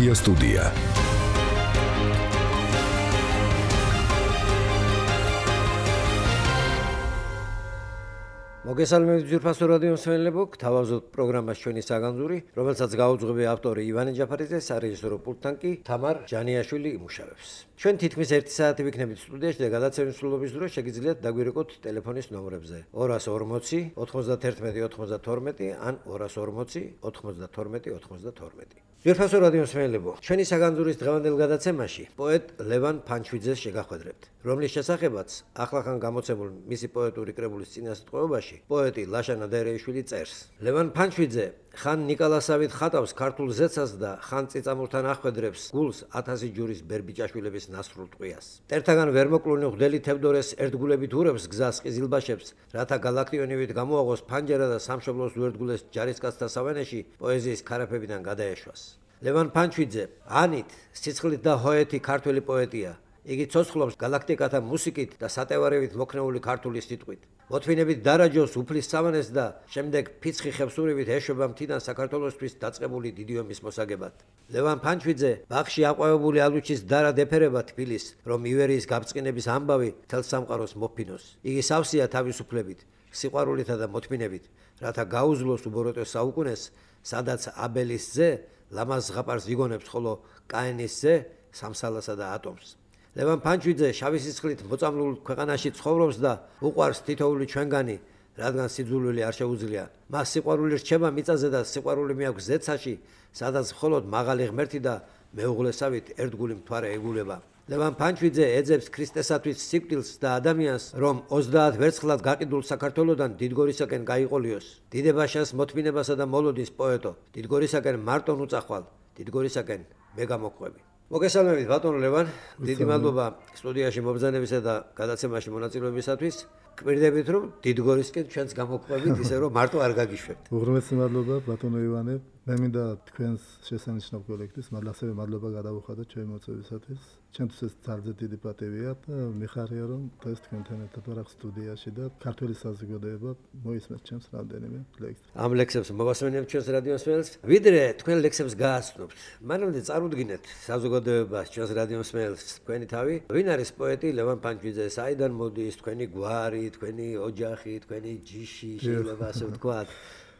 Poezia Studia. მოგესალმებით ძვირფასო რადიო მსმენელებო, გთავაზობთ პროგრამას ჩვენი საგანძური, რომელსაც გაუძღვები ავტორი ივანე ჯაფარიძე, სარეჟისორო პულტთან კი თამარ ჯანიაშვილი იმუშავებს. ჩვენ თითქმის 1 საათი ვიქნებით სტუდიაში და გადაცემის სრულობის დროს შეგიძლიათ დაგვირეკოთ ტელეფონის ნომრებზე 240 91 92 ან 240 92 92. ძვირფასო რადიო მსმენელებო, ჩვენი საგანძურის დღევანდელ გადაცემაში პოეტ ლევან ფანჩვიძეს შეგახვედრებთ, რომლის შესახებაც ახლახან გამოცემულ მისი პოეტური კრებულის წინასწარმეტყველობაში პოეტი ლაშა ნადარეიშვილი წერს. ლევან ფანჩვიძე ხან ნიკოლასავით ხატავს ქართულ ზეცას და ხან წიწამურთან ახვედრებს გულს 1000 ჯურის ბერბიჭაშვილების ნასრულ ტყვიას. მტერთაგან ვერ მოკლუნი ღვდელი თევდორეს ერთგულებით ურევს გზას ყიზილბაშებს, რათა გალაქტიონივით გამოაღოს ფანჯარა და სამშობლოს უერთგულეს ჯარისკაცთა სავანეში პოეზიის ქარაფებიდან გადაეშვას. ლევან ფანჩვიძე ანით, სიცხლით და ჰოეთი ქართველი პოეტია. იგი ცოცხლობს გალაქტიკათა მუსიკით და სატევარევით მოქნეული ქართული სიტყვით. მოთმინებით დარაჯოს უფლის სავანეს და შემდეგ ფიცხი ხევსურივით ეშვება მთიდან საქართველოსთვის დაწყებული დიდი ომის მოსაგებად. ლევან ფანჩვიძე ბაღში აყვავებული ალუჩის დარად ეფერება თბილის, რომ ივერიის გაბწყინების ამბავი თელს სამყაროს მოფინოს. იგი სავსეა თავისუფლებით, სიყვარულითა და მოთმინებით, რათა გაუძლოს უბოროტეს საუკუნეს, სადაც აბელის ზე ლამაზ ზღაპარს იგონებს, ხოლო კაენის ზე სამსალასა და ატომს. ლევან ფანჩვიძე შავი სისხლით მოწამლულ ქვეყანაში ცხოვრობს და უყვარს თითოეული ჩვენგანი, რადგან სიძულვილი არ შეუძლია. მას სიყვარული რჩება მიწაზე და სიყვარული მიაქვს ზეცაში, სადაც მხოლოდ მაღალი ღმერთი და მეუღლესავით ერთგული მთვარე ეგულება. ლევან ფანჩვიძე ეძებს ქრისტესათვის სიკვდილს და ადამიანს, რომ 30 ვერცხლად გაყიდულ საქართველოდან დიდგორისაკენ გაიყოლიოს. დიდებაშას მოთმინებასა და მოლოდის პოეტო, დიდგორისაკენ მარტონ უწახვალ, დიდგორისაკენ მე გამოყვები. მოგესალმებით ბატონო ლევან, დიდი მადლობა სტუდიაში მობრძანებისა და გადაცემაში მონაწილეობისათვის. გვირდებით რომ დიდგორისკენ ჩვენს გამოყვებით, ისე რომ მარტო არ გაგიშვებთ. უღრმესი მადლობა ბატონო ივანე. მე მინდა თქვენს შესანიშნავ კოლექტივს ასევე მადლობა გადავუხადოთ ჩვენი მოწვევისათვის. ჩემთვის ეს ძალიან დიდი პატივია და მიხარია რომ დღეს თქვენთან ერთად ვარ სტუდიაში და ქართული საზოგადოება მოისმენთ ჩემს რამდენიმე ლექსს. ამ ლექსებს მოვასმენებთ ჩვენს რადიო მსმენელს. ვიდრე თქვენ ლექსებს გააცნობთ, მანამდე წარუდგინეთ საზოგადოებას, ჩვენს რადიო მსმენელს თქვენი თავი. ვინ არის პოეტი ლევან ფანჩვიძე? საიდან მოდის თქვენი გვარი, თქვენი ოჯახი, თქვენი ჯიში, შეიძლება ასე ვთქვათ.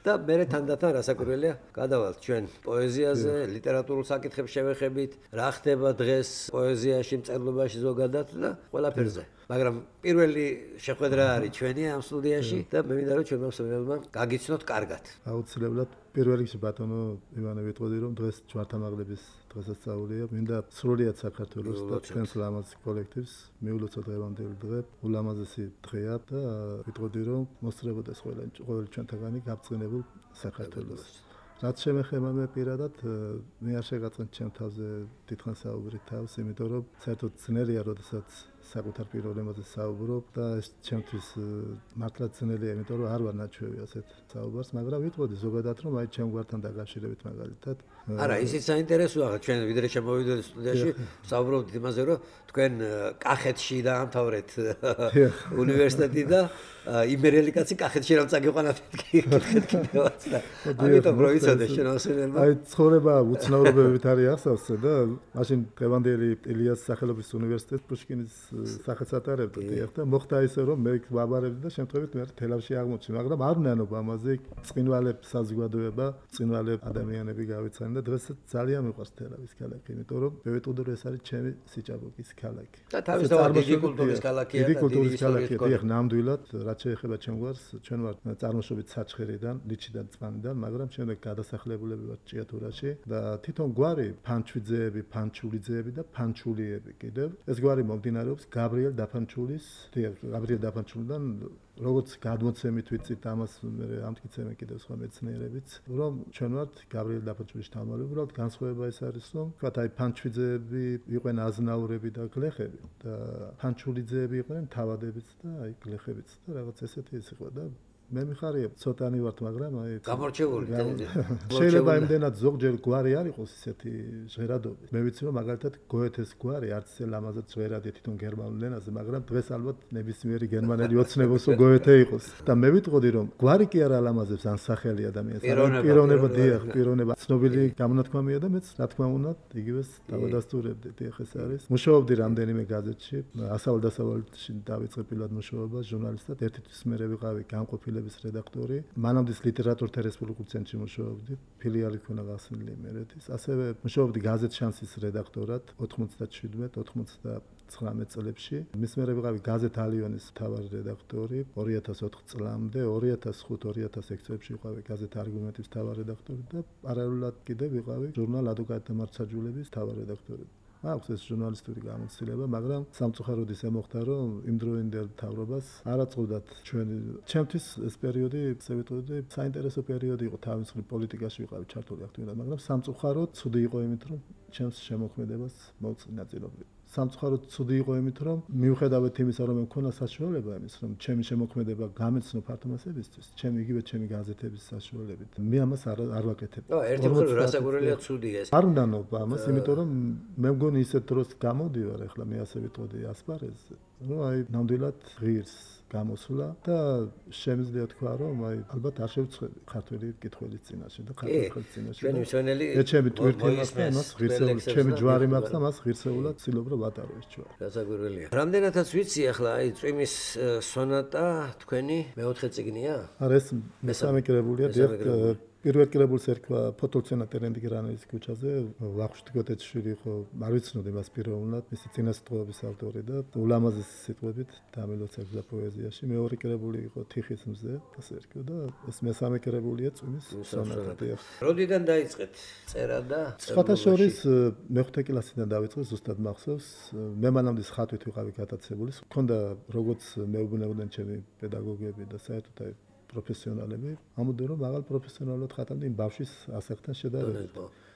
და მე თანდათან რასაკვირველია, გადავალთ ჩვენ პოეზიაზე, ლიტერატურულ საკითხებს შევეხებით, რა ხდება დღეს პოეზიაში, მწერლობაში ზოგადად და ყველაფერზე. მაგრამ პირველი შეხვედრა არის ჩვენი ამ სტუდიაში და მე მინდა რომ ჩვენმა მსმენელებმა გაგიცნოთ კარგად. აუცილებლად პირველ რიგში ბატონო ივანე ვიტყოდი რომ დღეს ჯვართამაღლების დღესასწაულია. მინდა სრულიად საქართველოს და ჩვენს ლამაზ კოლექტივს მიულოცოთ დღევანდელი დღე, ულამაზესი დღეა და ვიტყოდი რომ მოსწრებოდეს ყოველი ჩვენთაგანი გაბწყინებულ საქართველოს. რაც შემეხება მე პირადად, მე არ შეგაწყენ ჩემ თავზე დიდხანს საუბრი თავს, იმიტომ რომ საერთოდ ძნელია, როდესაც საკუთარ პიროვნებაზე საუბრობ და ეს ჩემთვის მართლა ძნელია, იმიტომ რომ არ ვარ ნაჩვევი ასეთ საუბარს, მაგრამ ვიტყოდი ზოგადად რომ აი ჩემ გვართან დაკავშირებით მაგალითად. არა, ისიც საინტერესოა, ჩვენ ვიდრე შემოვიდეთ სტუდიაში, საუბრობთ იმაზე, რომ თქვენ კახეთში დაამთავრეთ უნივერსიტეტი და იმერელი კაცი კახეთში რამ წაგიყვანათ კიდევაც და ამიტომ რო იცოდე შენ მოსენელმა. აი ცხოვრება უცნაურობებით არის ახსოვსე და მაშინ დღევანდელი ილიას სახელობის უნივერსიტეტს პუშკინის სახელს ატარებდა და მოხდა ისე რომ მე ვაბარებდი და შემთხვევით მე თელავში აღმოჩნდი, მაგრამ არ ვნანობ ამაზე წყინვალებს საზოგადოება, წყინვალებ ადამიანები გავიცანი და დღეს ძალიან მიყვარს თელავის ქალაქი, იმიტომ რომ მე ვიტყოდი რომ ეს არის ჩემი სიჭაბუკის ქალაქი. და თავისთავად დიდი კულტურის ქალაქია და დიდი ისტორიის ქალაქია. ნამდვილად რაც შეეხება ჩემ გვარს, ჩვენ ვართ წარმოშობით საჩხერიდან, ლიჩიდან, წვანიდან, მაგრამ შემდეგ გადასახლებულები ვართ ჭიათურაში და თვითონ გვარი ფანჩვიძეები, ფანჩულიძეები და ფანჩულიები კიდევ. ეს გვარი მომდინარეობს გაბრიელ დაფანჩულიდან, როგორც გადმოცემით ვიცით ამას მე ამტკიცებენ კიდევ სხვა მეცნიერებიც, რომ ჩვენ ვართ გაბრიელ დაფანჩულის შთამომავალი. უბრალოდ განსხვავება ეს არის, რომ თქვათ აი ფანჩვიძეები იყვნენ აზნაურები და გლეხები და ფანჩულიძეები იყვნენ თავადებიც და აი გლეხებიც და რაღაც ესეთი ის იყო და მე მიხარია ცოტანი ვართ, მაგრამ აი გამორჩეული შეიძლება იმდენად ზოგჯერ გვარი არ იყოს ისეთი ჟღერადობით. მე ვიცი რომ მაგალითად გოეთეს გვარი არც ისე ლამაზად ჟღერადია თვითონ გერმანულ ენაზე, მაგრამ დღეს ალბათ ნებისმიერი გერმანელი ოცნებობს რომ გოეთე იყოს. და მე ვიტყოდი რომ გვარი კი არ ალამაზებს ან სახელი ადამიანს, პიროვნება დიახ, პიროვნება ცნობილი გამონათქვამია და მეც რა თქმა უნდა იგივეს დავადასტურებდი. დიახ ეს არის. მუშაობდი რამდენიმე გაზეთში, ასავალ-დასავალში დავიწყე პირველად მუშაობა ჟურნალისტად, ერთი თვის მერე ვიყავი განყოფილების რედაქტორი. მანამდე ლიტერატურთა რესპუბლიკურ ცენტრში მუშაობდი, ფილიალი ქონა გახსნილი იმერეთის. ასევე მუშაობდი გაზეთ შანსის რედაქტორად 97-99 წლებში. მის მერე ვიყავი გაზეთ ალიონის მთავარი რედაქტორი 2004 წლამდე, 2005-2006 წლებში ვიყავი გაზეთ არგუმენტის მთავარი რედაქტორი და პარალელურად კიდევ ვიყავი ჟურნალ ადვოკატთა მარცხაჯულების მთავარი რედაქტორი. აქვს ეს ჟურნალისტური გამოცდილება, მაგრამ სამწუხაროდ ისე მოხდა, რომ იმდროინდელ მთავრობას არ აწყობდათ ჩემთვის ეს პერიოდი, ესე ვიტყოდი, საინტერესო პერიოდი იყო, თავის მხრივ პოლიტიკაში ვიყავი ჩართული აქტიურად, მაგრამ სამწუხაროდ ცუდი იყო იმით, რომ ჩემს შემოქმედებას მოვწყინა წილობრივ. სამწუხაროდ ცუდი იყო იმით, რომ მიუხედავად იმისა, რომ მქონა საშუალება იმის, რომ ჩემი შემოქმედება გამეცნო ფართო მასებისთვის, ჩემი გაზეთების საშუალებით. მე ამას არ ვაკეთებ. ერთი მხრივ რასაკვირველია ცუდია ეს. არ უნდა ნობა ამას, იმიტომ რომ მე მგონი ისეთ დროს გამოდივარ, ახლა მე ასე ვიტყოდი ასპარეზზე, რომ აი ნამდვილად ღირს გამოსვლა და შემიძლია თქვა, რომ აი ალბათ არ შევწყვეტი ქართველი კითხველის წინაშე და ქართველის წინაშე. ჩვენი მსვენელი ჩემი ტვირთი მაქვს და მას ღირსეული, ჩემი ჯვარი მაქვს და მას ღირსეულად ცდილობ რომ ვატარო ეს ჯვარი. რასაკვირველია. რამდენადაც ვიცი ახლა აი წვიმის სონატა თქვენი მეოთხე წიგნია? არა ეს მესამე კრებულია, პირველ კრებულს ერქვა ფოტოცენა ტერენდიგრანის ქუჩაზე, ვახუშტი გოტეცშვილი იყო, არ ვიცნობდი მას პიროვნულად, მისი წინასწრების ავტორი და ულამაზესი სიტყვებით დამილოცებდა პოეზიაში. მეორე კრებული იყო თიხის მზე, ასე ერქვა და ეს მესამე კრებულია წვიმის სონატა. როდიდან დაიწყეთ წერა და სხვათა შორის მეხუთე კლასიდან დავიწყე, ზუსტად მახსოვს. მე მანამდე ხატვით ვიყავი გატაცებული. მქონდა როგორც მეუბნებოდნენ ჩემი პედაგოგები და საერთოდ აი პროფესიონალები, ამოდენ რომ მაღალ პროფესიონალურად ხატავდნენ იმ ბავშვის ასაკთან შედარებით.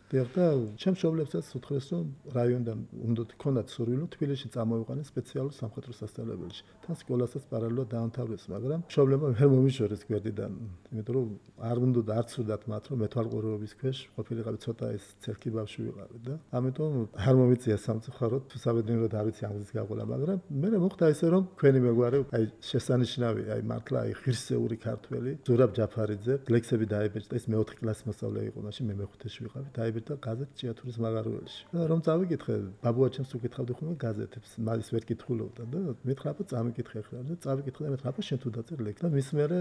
და ჩემს მშობლებსაც უთხრეს, რომ რაიონიდან უნდა ქონდათ სურვილი, თბილისში წამოვიყვანეს სპეციალურ სამხატვრო სასწავლებელში. თან სკოლასაც პარალელურად დაამთავრეს, მაგრამ მშობლებმა ვერ მომიშორეს გვერდიდან, იმიტომ რომ არ უნდა არც უდათ მათ, რომ მეთვალყურეობის ქვეშ ყოფილიყავი ცოტა ეს ცერკი ბავშვი ვიყავი და ამიტომ არ მომიწია სამწუხაროდ, საბედნიეროდ არ ვიცი ამის გაყოლა, მაგრამ მე მოხდა ესე, რომ თქვენი მეგვარი, აი შესანიშნავი, აი მართლა აი ღირსეული ქართველი, ზურაბ ჯაფარიძე, ლექსები დაიბეჭდა, ის მეოთხე კლასის მასწავლებელი იყო, მაშინ მე მეხუთეში ვიყავი, და გაზეთ ჭიათურის მაღაროელში. და რომ წავიკითხე, ბაბუა ჩემს უკითხავდი ხოლმე გაზეთებს, მაგის ვერ კითხულობდა და მითხრა, აბა წამიკითხე ახლა და წავიკითხე და მითხრა, აბა შენ თუ დაწერ ლექსი და მის მერე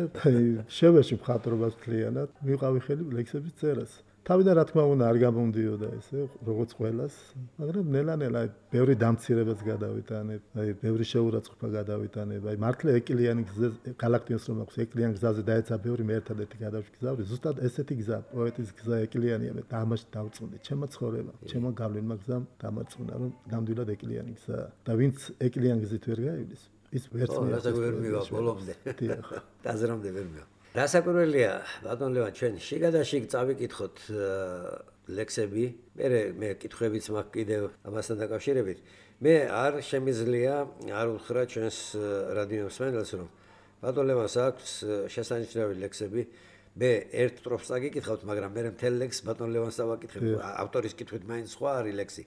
შევეში მხატვრობას მთლიანად, მივყავი ხელი ლექსების წერას. თავიდან რა თქმა უნდა არ გამომდიოდა ესე, როგორც ყველას, მაგრამ ნელა-ნელა ბევრი დამცირებაც გადავიტანებ, აი ბევრი შეურაცხყოფა გადავიტანებ, აი მართლა ეკლიანი გზაზე, გალაქტიონს რომ აქვს ეკლიანი გზაზე დაეცა ბევრი მე ერთადერთი გადავშგზავრი, ზუსტად ესეთი გზა, პოეტის გზა ეკლიანია, მე ამაში დავწუნდი, ჩემო ცხოვრება, ჩემო გავლენმა გზამ დამარცხნა, რომ ნამდვილად ეკლიანი გზაა და ვინც ეკლიანი გზით ვერ გაივლის, ის ვერც ვერ მივა ბოლომდე. დიახ. დაზრამდე ვერ მივა. რასაკვირველია, ბატონ ლევან, ჩვენ შიგადაშიგ წავიკითხოთ ლექსები, მე კითხვებიც მაქვს კიდევ ამასთან დაკავშირებით. მე არ შემიძლია არ უთხრა ჩვენს რადიო მსმენელს, რომ ბატონ ლევანს აქვს შესანიშნავი ლექსები. მე ერთ სტროფს წაგიკითხავთ, მაგრამ მე მთელ ლექსს ბატონ ლევანს დავაკითხებ, ავტორის კითხვით მაინც სხვა არის ლექსი.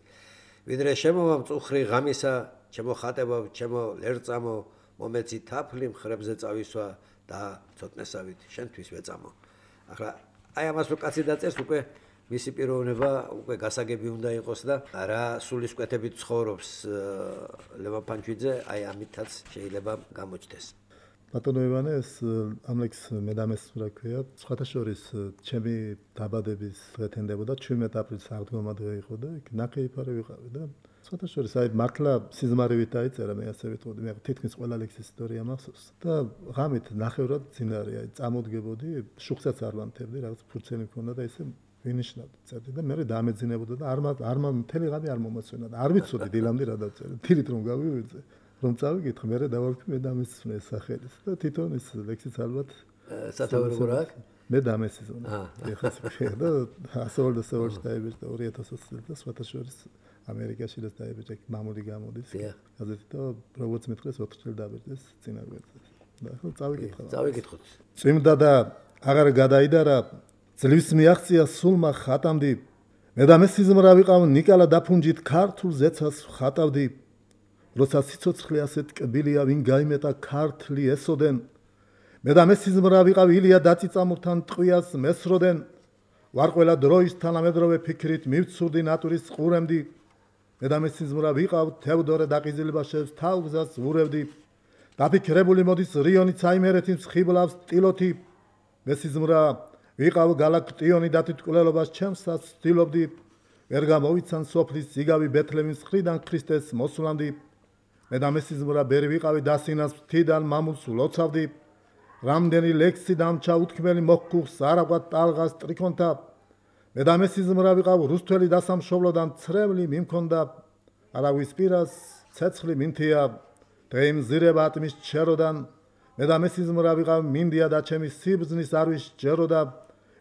ვიდრე შემოვამწუხრი ღამისა, ჩემო ხატებო, ჩემო ლერწამო, მომეცი თაფლი მხრებზე წავისვა და ცოტნესავით შენთვის ვეწამო. ახლა აი ამას რო კაცი დაწერს, უკვე მისი პიროვნება უკვე გასაგები უნდა იყოს და რა სულისკვეთებით ცხოვრობს ლევან ფანჩვიძე, აი ამითაც შეიძლება გამოჩნდეს. ბატონო ივანე, ეს ამ ლექსს მე დამესწრა ქვია, სხვათა შორის ჩემი დაბადების დღე თენდებოდა 17 აპრილის აღდგომა დღე იყო და იქ ნახეიფარი ვიყავი და სხვათა შორის აი მართლა სიზმარივით დაიწერა, მე ასე ვიტყოდი, მე თითქმის ყველა ლექსის ისტორია მახსოვს და ღამით ნახევრად წინარე, აი წამოდგებოდი, შუხსაც არ ვანთებდი, რაღაც ფურცელი მქონდა და ისე ვინიშნავდი წერდი და მე დამეძინებოდა და არ მთელი ღამე არ მომასვენა და არ ვიცოდი დილამდე რა დავწერე, თირით რომ გავივიძე, რომ წავიკითხე, მე დავარქვი, მე დამესწრე სახელის და თვითონ ეს ლექსიც ალბათ სათავერო რა აქვს? მე დამესიზონა. ეხლა და ასეულში დაიბეჭდა 2020 წელს და სხვათა შორის ამერიკაში და დაიბეჭდა მამული გამოდის. გაზეთი და როგორც მითხრეს 4 წელი დაიბეჭდეს წინა გვერდზე. წავიკითხოთ. წვიმდა და აღარ გადაიდარა, ძლივს მიაღწია სულმა ხატამდი. მე და მე სიზმრა ვიყავ ნიკალა დაფუნჯით ქართულ ზეცას ხატავდი. როცა სიცოცხლე ასეთ კბილია, ვინ გაიმეტა ქართლი ესოდენ. მე და მე სიზმრა ვიყავ ილია დაწიწამურთან ტყვიას მესროდენ. ვარ ყველა დროის თანამედროვე ფიქრით მივცურდი ნატურის ყურემდი. მე და მე სიზმრა ვიყავ თევდორე დაყიზილბაშევს თავგზას ვურევდი. დაფიქრებული მოდის რიონი ცაიმერეთის ხიბლავს ტილოთი. მე სიზმრა ვიყავ გალაქტიონი დათითკვლელობას ჩემსაც ვცდილობდი. ვერ გამოვიცან სოფლის ზიგავი ბეთლემის მხრიდან ქრისტეს მოსვლამდი. მე და მე სიზმრა ბერი ვიყავი დასინას მთიდან მამულს ვლოცავდი. რამდენი ლექსი დამჩა უთქმელი მოჰკუხს არაგვად ტალღას ტრიქონთა. მე და მე სიზმრა ვიყავ რუსთველი დასამშობლოდან ცრემლი მიმქონდა. არავის პირას ცეცხლი მინთია დღეიმზირება ატმის ჩეროდან. მე და მე სიზმრა ვიყავ მინდია და ჩემი სიბრძნის არვის ჯეროდა.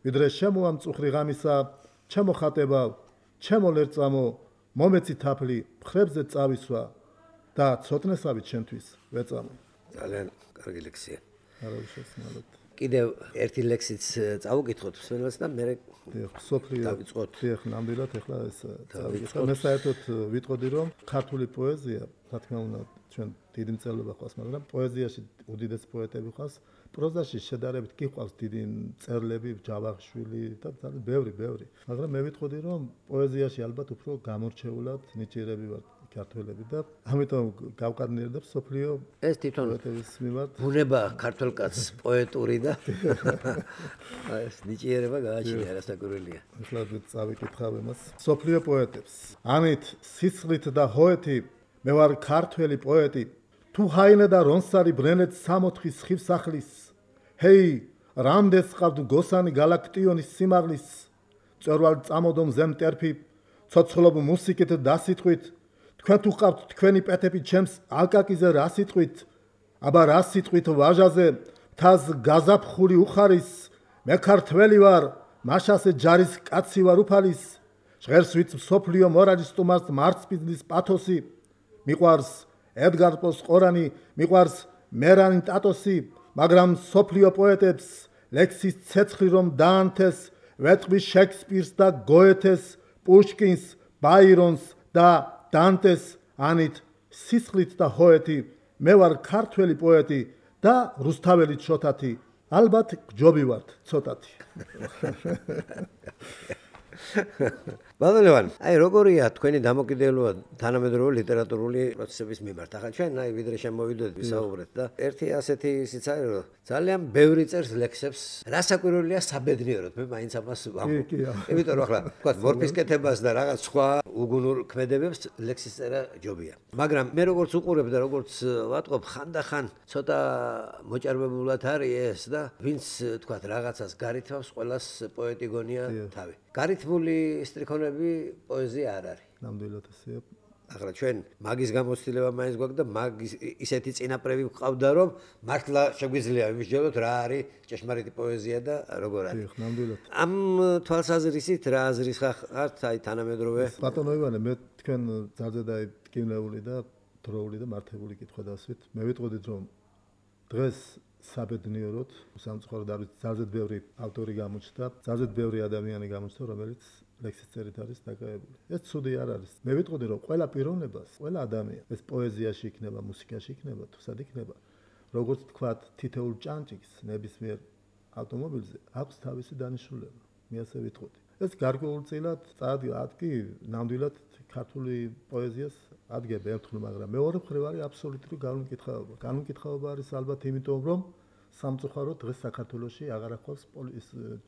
ვიდრე შემოა მწუხრი ღამისა ჩემო ხატება ჩემო ლერწამო მომეცი თაფლი მხრებზე წავისვა და ცოტნესავით ჩემთვის ვეწამო. ძალიან კარგი ლექსია. არავისესმალოდ. კიდევ ერთი ლექსიც წავუკითხოთ მსმენელს და მე სოფლიო დავიწყოთ. ეხლა ნამდვილად ეხლა ეს დავიწყოთ. მე საერთოდ ვიტყოდი რომ ქართული პოეზია, რა თქმა უნდა, ჩვენ დიდი მწერლობა ყავს, მაგრამ პოეზიაში უდიდეს პოეტები ყავს. პროზაში შედარებით კი ყავს დიდი მწერლები, ჯავახიშვილი და ძალიან ბევრი. მაგრამ მე ვიტყოდი რომ პოეზიაში ალბათ უფრო გამორჩეულად ნიჭიერები ვართ ქართველები და ამიტომ გავყარნიერდებ სოფლიო ეს თვითონ პოეტების მიმართ. ბუნება ქართულ კაცს პოეტური და ეს ნიჭიერება გააჩნია, არასაკურველია. ეხლა წავიკითხავ იმას. სოფლიო პოეტებს. ამით სისხლით და ჰოეთი მე ვარ ქართველი პოეტი. თუ ჰაინე და რონსარი ბრენეთ 64 ხივსახლის. ჰეი, რამდენს ყავთ გოსანი გალაქტიონის სიმაღლის. წერვალ წამოდომ ზემტერფი, ცოცხლობ მუსიკით დასიტყვით. თქვენ თუ ყავთ თქვენი პეთები ჩემს ალკაკიზე რა სიტყვით? აბა რა სიტყვით ვაჟაზე, მთას გაზაფხული უხარის. მე ქართველი ვარ, მაშასე ჯარის კაცი ვარ უფალის. ჟღერს ვით სოფლიო მორალის სტუმარს მარცპიძლის პათოსი. მიყვარს ედგარ პოს ყორანი, მიყვარს მერანი ტატოსი, მაგრამ სოფლიო პოეტებს ლექსის ცეცხლი რომ დაანთეს, ვეტყვი შექსპირს და გოეთეს, პუშკინს, ბაირონს და დანტეს. ანით სისხლით და ჰოეთი მე ვარ ქართველი პოეტი და რუსთაველი ჩოთათი. ალბათ გჯობი ვართ ცოტათი. ბატონო, აი როგორია თქვენი დამოკიდებულება თანამედროვე ლიტერატურული პროცესების მიმართ? ახლა ჩვენ აი ვიდრე შემოვიდოდით ვისაუბრეთ და ერთი ასეთი ისიც არის რომ ძალიან ბევრი წერს ლექსებს, რასაკვირველია საბედნიეროდ, მე მაინც ამას ვამბობ. იმიტომ რომ ახლა თქვა მორფის კეთებას და რაღაც სხვა უგუნურ ქმედებებს ლექსის წერა ჯობია. მაგრამ მე როგორც უყურებ და როგორც ვატყობ, ხანდახან ცოტა მოჭარბებულად არის ეს და ვინც თქვა რაღაცას გარითავს, ყველას პოეტი გონია თავი. გარითმული სტრიქონები პოეზია არ არის. ნამდვილად ესეა. ახლა ჩვენ მაგის გამოცდილება მაინც გვაქვს და მაგის ისეთი წინაპრები გვყავდა რომ მართლა შეგვიძლია ვიმსჯელოთ რა არის ჭეშმარიტი პოეზია და როგორ არის. ნამდვილად. ამ თვალსაზრისით რა აზრის ხართ აი თანამედროვე? ბატონო ივანე, მე თქვენ ძალზე დაიკინეული და დროული და მართებული კითხვა დასვით. მე ვიტყოდით რომ დღეს საბედნიეროდ სამწუხაროდ არის ძალზე ბევრი ავტორი გამოჩნდა, ძალზე ბევრი ადამიანი გამოჩნდა, რომელიც ლექსის წერით არის დაკავებული. ეს ცუდი არ არის. მე ვიტყოდი რომ ყველა პიროვნებას, ყველა ადამიანი, ეს პოეზიაში იქნება, მუსიკაში იქნება, თუ სად იქნება, როგორც თქვათ, თითოეულ ჭანჭიქს ნებისმიერ ავტომობილზე აქვს თავისი დანიშნულება. მე ასე ვიტყოდი. ეს გარკვეულწილად წაადგა ნამდვილად ქართული პოეზიას ადგება ერთხელ, მაგრამ მეორე მხრივ არის აბსოლუტური განმკითხაობა. განმკითხაობა არის ალბათ იმიტომ, რომ სამწუხაროდ დღეს საქართველოში აღარ აქვს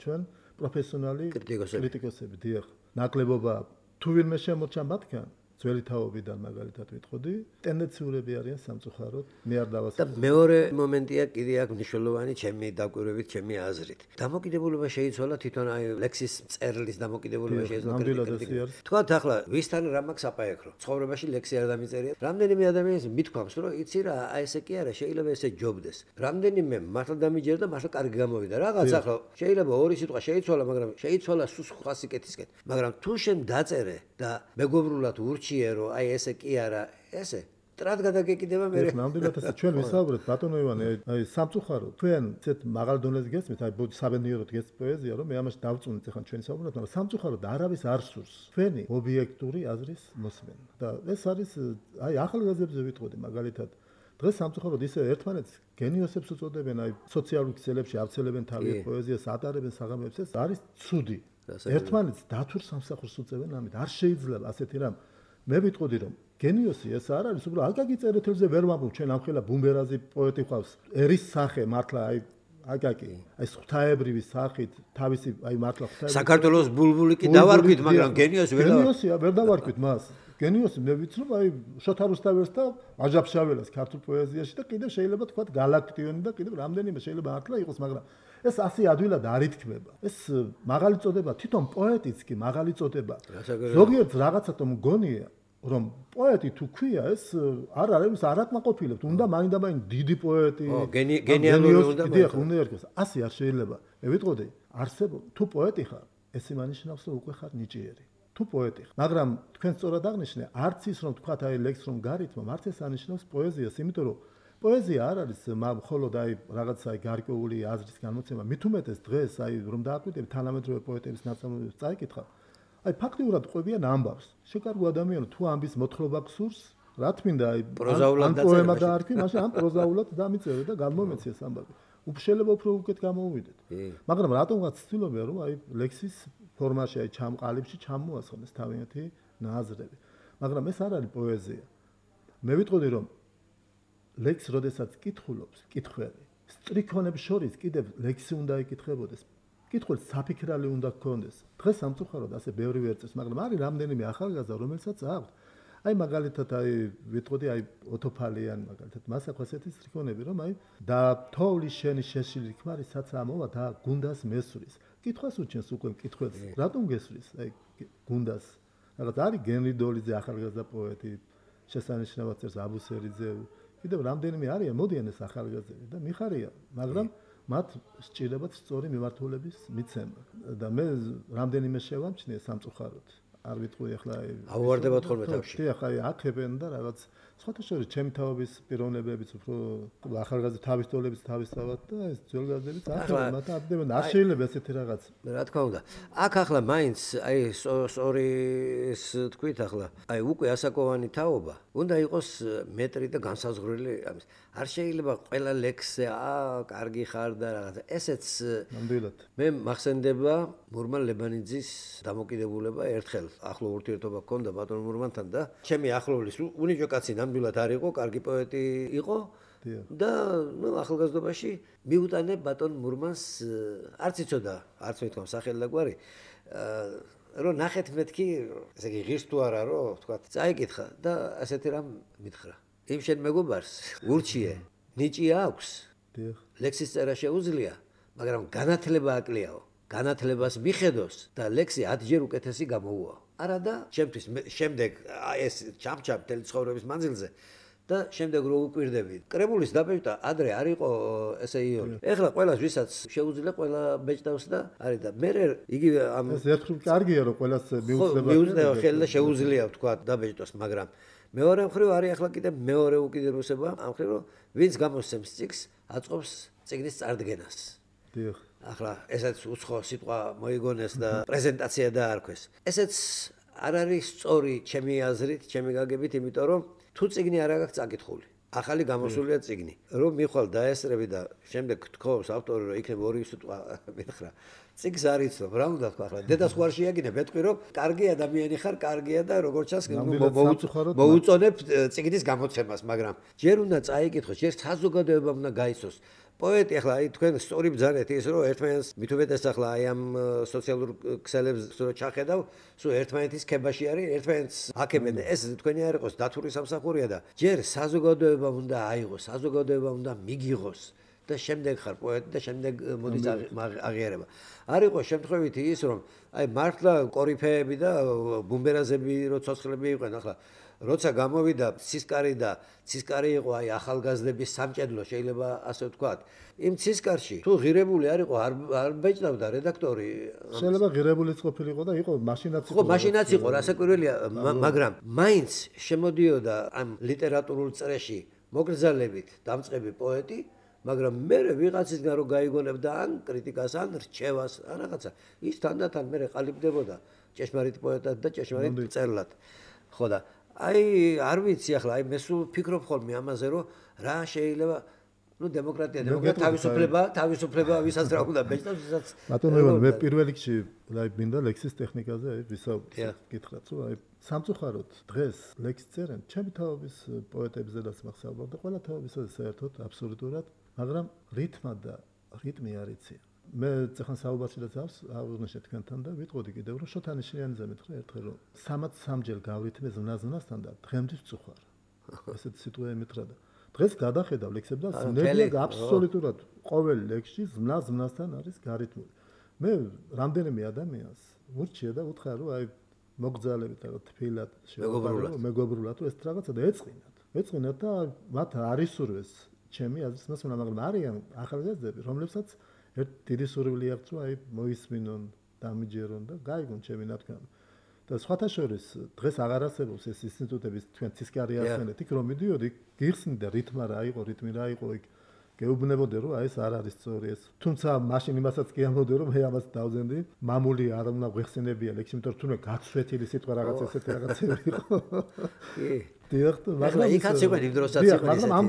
ჩვენ პროფესიონალი კრიტიკოსები. დიახ, ნაკლებობა თუ ვინმე შემოჩა მათგან, ძველი თაობიდან მაგალითად ვიტყოდი, ტენდენციურები არიან სამწუხაროდ, მე არ დავასრულებ. და მეორე მომენტია კიდე აქ მნიშვნელოვანი ჩემი დაკვირვებით, ჩემი აზრით. დამოკიდებულება შეიცვალა თვითონ აი ლექსის წერლის დამოკიდებულება შეიცვალა. თქვათ ახლა ვისთან რა მაქვს აპაექრო? ცხოვრებაში ლექსი არ დამიწერია. რამდენიმე ადამიანს მithქვამს, რომ იცი რა, აი ესე კი არა, შეიძლება ესე ჯობდეს. რამდენიმე მართლა დამიჯერდა, მართლა კარგი გამოვიდა. რაღაც ახლა შეიძლება ორი სიტყვა შეიცვალა, მაგრამ შეიცვალა სულ სხვა სიკეთისკენ. მაგრამ თუ შენ დაწერე და მეგობრულად ურჩიე რომ აი ესე კი არა, ესე მჭრად გადაგეკიდება მე. ნამდვილად ასე ჩვენ ვისაუბრეთ ბატონო ივანე, აი სამწუხაროდ თქვენ ცეთ მაღალ დონეზე გესმით, აი საბედნიეროდ გესმით პოეზია, რომ მე ამაში დავწუნეთ ახლა ჩვენ საუბრობთ, მაგრამ სამწუხაროდ არავის არ სურს თქვენი ობიექტური აზრის მოსმენა. და ეს არის აი ახალგაზრდებზე ვიტყოდი მაგალითად დღეს სამწუხაროდ ისე ერთმანეთს გენიოსებს უწოდებენ, აი სოციალურ ქსელებში ავცელებენ თავის პოეზიას, ატარებენ საღამოებს, ეს არის ცუდი. ერთმანეთს დათურ სამსახურს უწევენ ამით. არ შეიძლება ასეთი რამ. მე ვიტყოდი რომ გენიოსი ეს არ არის, უბრალოდ აკაკი წერეთელზე ვერ ვამბობ, ჩვენ ამხელა ბუმბერაზი პოეტი ყავს. ერის სახე მართლა აი აკაკი, აი ღვთაებრივი სახით, თავისი აი მართლა ღვთაებრივი. საქართველოს ბულბული კი დავარქვით, მაგრამ გენიოსი ვერ გენიოსია, ვერ დავარქვით მას. გენიოსი მე ვიცნობ აი შოთა რუსთაველს და აჯაფშაველას ქართულ პოეზიაში და კიდევ შეიძლება თქვა გალაქტიონი და კიდევ რამდენიმე შეიძლება მართლა იყოს, მაგრამ ეს ასე ადვილად არ ითქმება. ეს მაღალი წოდება, თვითონ პოეტიც კი მაღალი წოდება. ზოგიერთ რაღაცა თუ მგონია, რომ პოეტი თუ ქვია, ეს არ არის არაკმაყოფილებთ. უნდა მაინდა-მაინც დიდი პოეტი, გენიალური უნდა იყოს. ასე არ შეიძლება. მე ვიტყოდი, არსებობს თუ პოეტი ხარ, ეს იმანიშნავს, რომ უკვე ხარ ნიჭიერი. თუ პოეტი ხარ, მაგრამ თქვენ სწორად აღნიშნე, არც ის რომ თქვა აი ლექს რომ გარითმა, არც ეს ანიშნავს პოეზიას, იმიტომ რომ პოეზია არ არის მხოლოდ აი რაღაცა აი გარკვეული აზრის განმოცემა. მით უმეტეს დღეს აი რომ დააკვირდებით თანამედროვე პოეტების ნაწარმოებებს წაიკითხა, აი ფაქტიურად ყვებიან ამბავს. შეკარგო ადამიანო თუ ამბის მოთხრობა გსურს, რა თმინდა აი პროზაულად პოემა დაარქვი, მაშინ ამ პროზაულად დამიწერე და გამომეცი ეს ამბავი. უშელება უფრო უკეთ გამოუვიდეთ. მაგრამ რატომღაც ცდილობენ რომ აი ლექსის ფორმაში აი ჩამყალიბში ჩამოასხნეს თავიანთი ნაზრები. მაგრამ ეს არ არის პოეზია. მე ვიტყოდი რომ ლექს როდესაც კითხულობს, კითხველი, სტრიქონებს შორის კიდევ ლექსი უნდა იკითხებოდეს. კითხველს საფიქრალი უნდა გქონდეს. დღეს სამწუხაროდ ასე ბევრი ვერ წეს, მაგრამ არის რამდენიმე ახალგაზრდა, რომელსაც აქვს. აი მაგალითად აი ვიტყოდი აი ოტოფალიან მაგალითად მას აქვს ასეთი სტრიქონები, რომ აი და თოვლი შენი შეშლილი ქმარისაც ამოვა და გუნდას მესვრის. კითხვას უჩენს უკვე კითხველს. რატომ გესვრის? აი გუნდას. რაღაც არის გენრი დოლიძე ახალგაზრდა პოეტი, შესანიშნავად წერს აბუსერიძე. კიდევ რამდენიმე არიან, მოდიან ეს ახალგაზრდები და მიხარია, მაგრამ მათ სჭირდებათ სწორი მიმართულების მიცემა. და მე რამდენიმე შევამჩნიე სამწუხაროდ. არ ვიტყვი ახლა ავუარდებათ ხოლმე თავში. კი, ახლა აკებენ და რაღაც სხვათა შორის ჩემი თავების პიროვნებებიც უფრო ახალგაზრდა თავის თოლებიც თავისთავად და ეს ძველგაზრდებიც ახლა მათ აბდებენ. არ შეიძლება ესეთი რაღაც. რა თქმა უნდა. აქ ახლა მაინც აი სწორი ეს თქვით ახლა. აი უკვე ასაკოვანი თაობა უნდა იყოს მეტრი და განსაზღვრელი ამის. არ შეიძლება ყველა ლექსზე კარგი ხარ და რაღაცა. ესეც ნამდვილად. მე მახსენდება მურმან ლებანიძის დამოკიდებულება ერთხელ ახლო ურთიერთობა ჰქონდა ბატონ მურმანთან და ჩემი ახლოვლის უნიჭო კაცი ნამდვილად არ იყო, კარგი პოეტი იყო და ნუ ახალგაზრდობაში მიუტანე ბატონ მურმანს არც იცოდა, არც მეთქვა სახელი და გვარი რომ ნახეთ მეთქი, ესე იგი ღირს თუ არა რომ თქვა წაიკითხა და ასეთი რამ მითხრა. იმ შენ მეგობარს ურჩიე, ნიჭი აქვს, ლექსის წერა შეუძლია, მაგრამ განათლება აკლიაო. განათლებას მიხედოს და ლექსი 10-ჯერ უკეთესი გამოუვა. არა და ჩემთვის შემდეგ ეს ჩამჩამ მთელი ცხოვრების მანძილზე და შემდეგ რო უკვირდები. კრებულის დაბეჭდა ადრე არ იყო ესე იური. ეხლა ყველას ვისაც შეუძლია ყველა ბეჭდავს და არის და მე იგი ამ ეს ერთხელ კარგია რომ ყველას მიუძლება. მიუძლება ხელი და შეუძლია თქვა დაბეჭდოს, მაგრამ მეორე მხრივ არის ახლა კიდე მეორე უკიდურესობა ამ მხრივ რომ ვინც გამოსცემს წიგნს აწყობს წიგნის წარდგენას. დიახ. ახლა ესეც უცხო სიტყვა მოიგონეს და პრეზენტაცია დაარქვეს. ესეც არ არის სწორი ჩემი აზრით, ჩემი გაგებით, იმიტომ რომ თუ წიგნი არ აქვს წაკითხული, ახალი გამოსულია წიგნი, რომ მიხვალ დაესწრები და შემდეგ თქოს ავტორი რომ იქნება ორი სიტყვა მითხრა. წიგნს არ იცნობ, რა უნდა თქვა ახლა? დედას ხوار შეაგინებ, ეტყვი რომ კარგი ადამიანი ხარ, კარგია და როგორც ჩანს მოუწონებ წიგნის გამოცემას, მაგრამ ჯერ უნდა წაიკითხოს, ჯერ საზოგადოებამ უნდა გაიცნოს. პოეტი ახლა აი თქვენ სწორი ბრძანეთ ის რომ ერთმანეთს მით უმეტეს ახლა აი ამ სოციალურ ქსელებს რო ჩახედავ, სულ ერთმანეთის ქებაში არის, ერთმანეთს აკებენ. ეს თქვენი არ იყოს დათური სამსახურია და ჯერ საზოგადოებამ უნდა აიღოს, საზოგადოებამ უნდა მიგიღოს და შემდეგ ხარ პოეტი და შემდეგ მოდის აღიარება. არ იყო შემთხვევითი ის რომ აი მართლა კორიფეები და ბუმბერაზები რო ცოცხლები იყვნენ ახლა როცა გამოვიდა ცისკარი და ცისკარი იყო აი ახალგაზრდების სამჭედლო შეიძლება ასე ვთქვათ. იმ ცისკარში თუ ღირებული არ იყო არ ბეჭდავდა რედაქტორი. შეიძლება ღირებულიც ყოფილიყო და იყო მაშინაც იყო. ხო, მაშინაც იყო, რასაკვირველია, მაგრამ მაინც შემოდიოდა ამ ლიტერატურულ წრეში მოგრძალებით დამწყები პოეტი, მაგრამ მე ვიღაცისგან რო გაიგონებდა ან კრიტიკას, ან რჩევას, ან რაღაცა, ის თანდათან მე ყალიბდებოდა ჭეშმარიტ პოეტად და ჭეშმარიტ მწერლად. ხო და აი არ ვიცი ახლა, აი მე სულ ფიქრობ ხოლმე ამაზე, რომ რა შეიძლება დემოკრატია თავისუფლება ვისაც რა უნდა ბეჭდავს, ვისაც ბატონო ივანე, მე პირველ რიგში მინდა ლექსის ტექნიკაზე ვისაუბროთ. გითხრათ, რომ აი სამწუხაროდ დღეს ლექსს წერენ ჩემი თაობის პოეტებზედაც მახსოვს და ყველა თაობისა საერთოდ აბსოლუტურად, მაგრამ რიტმა და რიტმი არ იციან. მე წახან საუბარშიც აღვნიშნე თქვენთან და ვიტყოდი კიდევ რომ შოთანიშვიანიძე მეთქე ერთხელ რომ 3-3 გავვრითმე ზნაზნასთან და დღემდე წუხარ. ესეთ სიტყვა ემეტრა და დღეს გადახედავ ლექსებს და ნებია აბსოლუტურად ყოველ ლექსში ზნასთან არის გარითმული. მე რამდენიმე ადამიანს ურჩია და უთხრა რომ აი მოგძალებით რა თბილად მეგობრულად მეგობრულად ეს რაღაცა და ეწყინათ და მათ არის სურვეს ჩემი აზრით მასულა, მაგრამ არიან ახალგაზრდები რომლებსაც ერთ დიდი სურვილი აქვს რომ აი მოისმინონ, დამიჯერონ და გაიგონ ჩემი ნათქვამი. და სხვათა შორის დღეს აღარ არსებობს ეს ინსტიტუტების თქვენ ცისკარი ახსენეთ, იქ რომ მიდიოდი, გიხსნიდა რიტმა რა იყო, რიტმი რა იყო იქ. გეუბნებოდი რომ აი ეს არ არის სწორი ეს. თუმცა მაშინ იმასაც კი ამბობდი რომ მე ამას დავზენდი, მამული არ უნდა გვეხსენებია ლექსი, იმიტომ რომ თუნდაც გაცვეთილი სიტყვა რაღაც ესეთი რაღაცები იყო. კი. დიახ, მაგრამ იქაც იყო იმ დროსაც იყო. მაგრამ ამ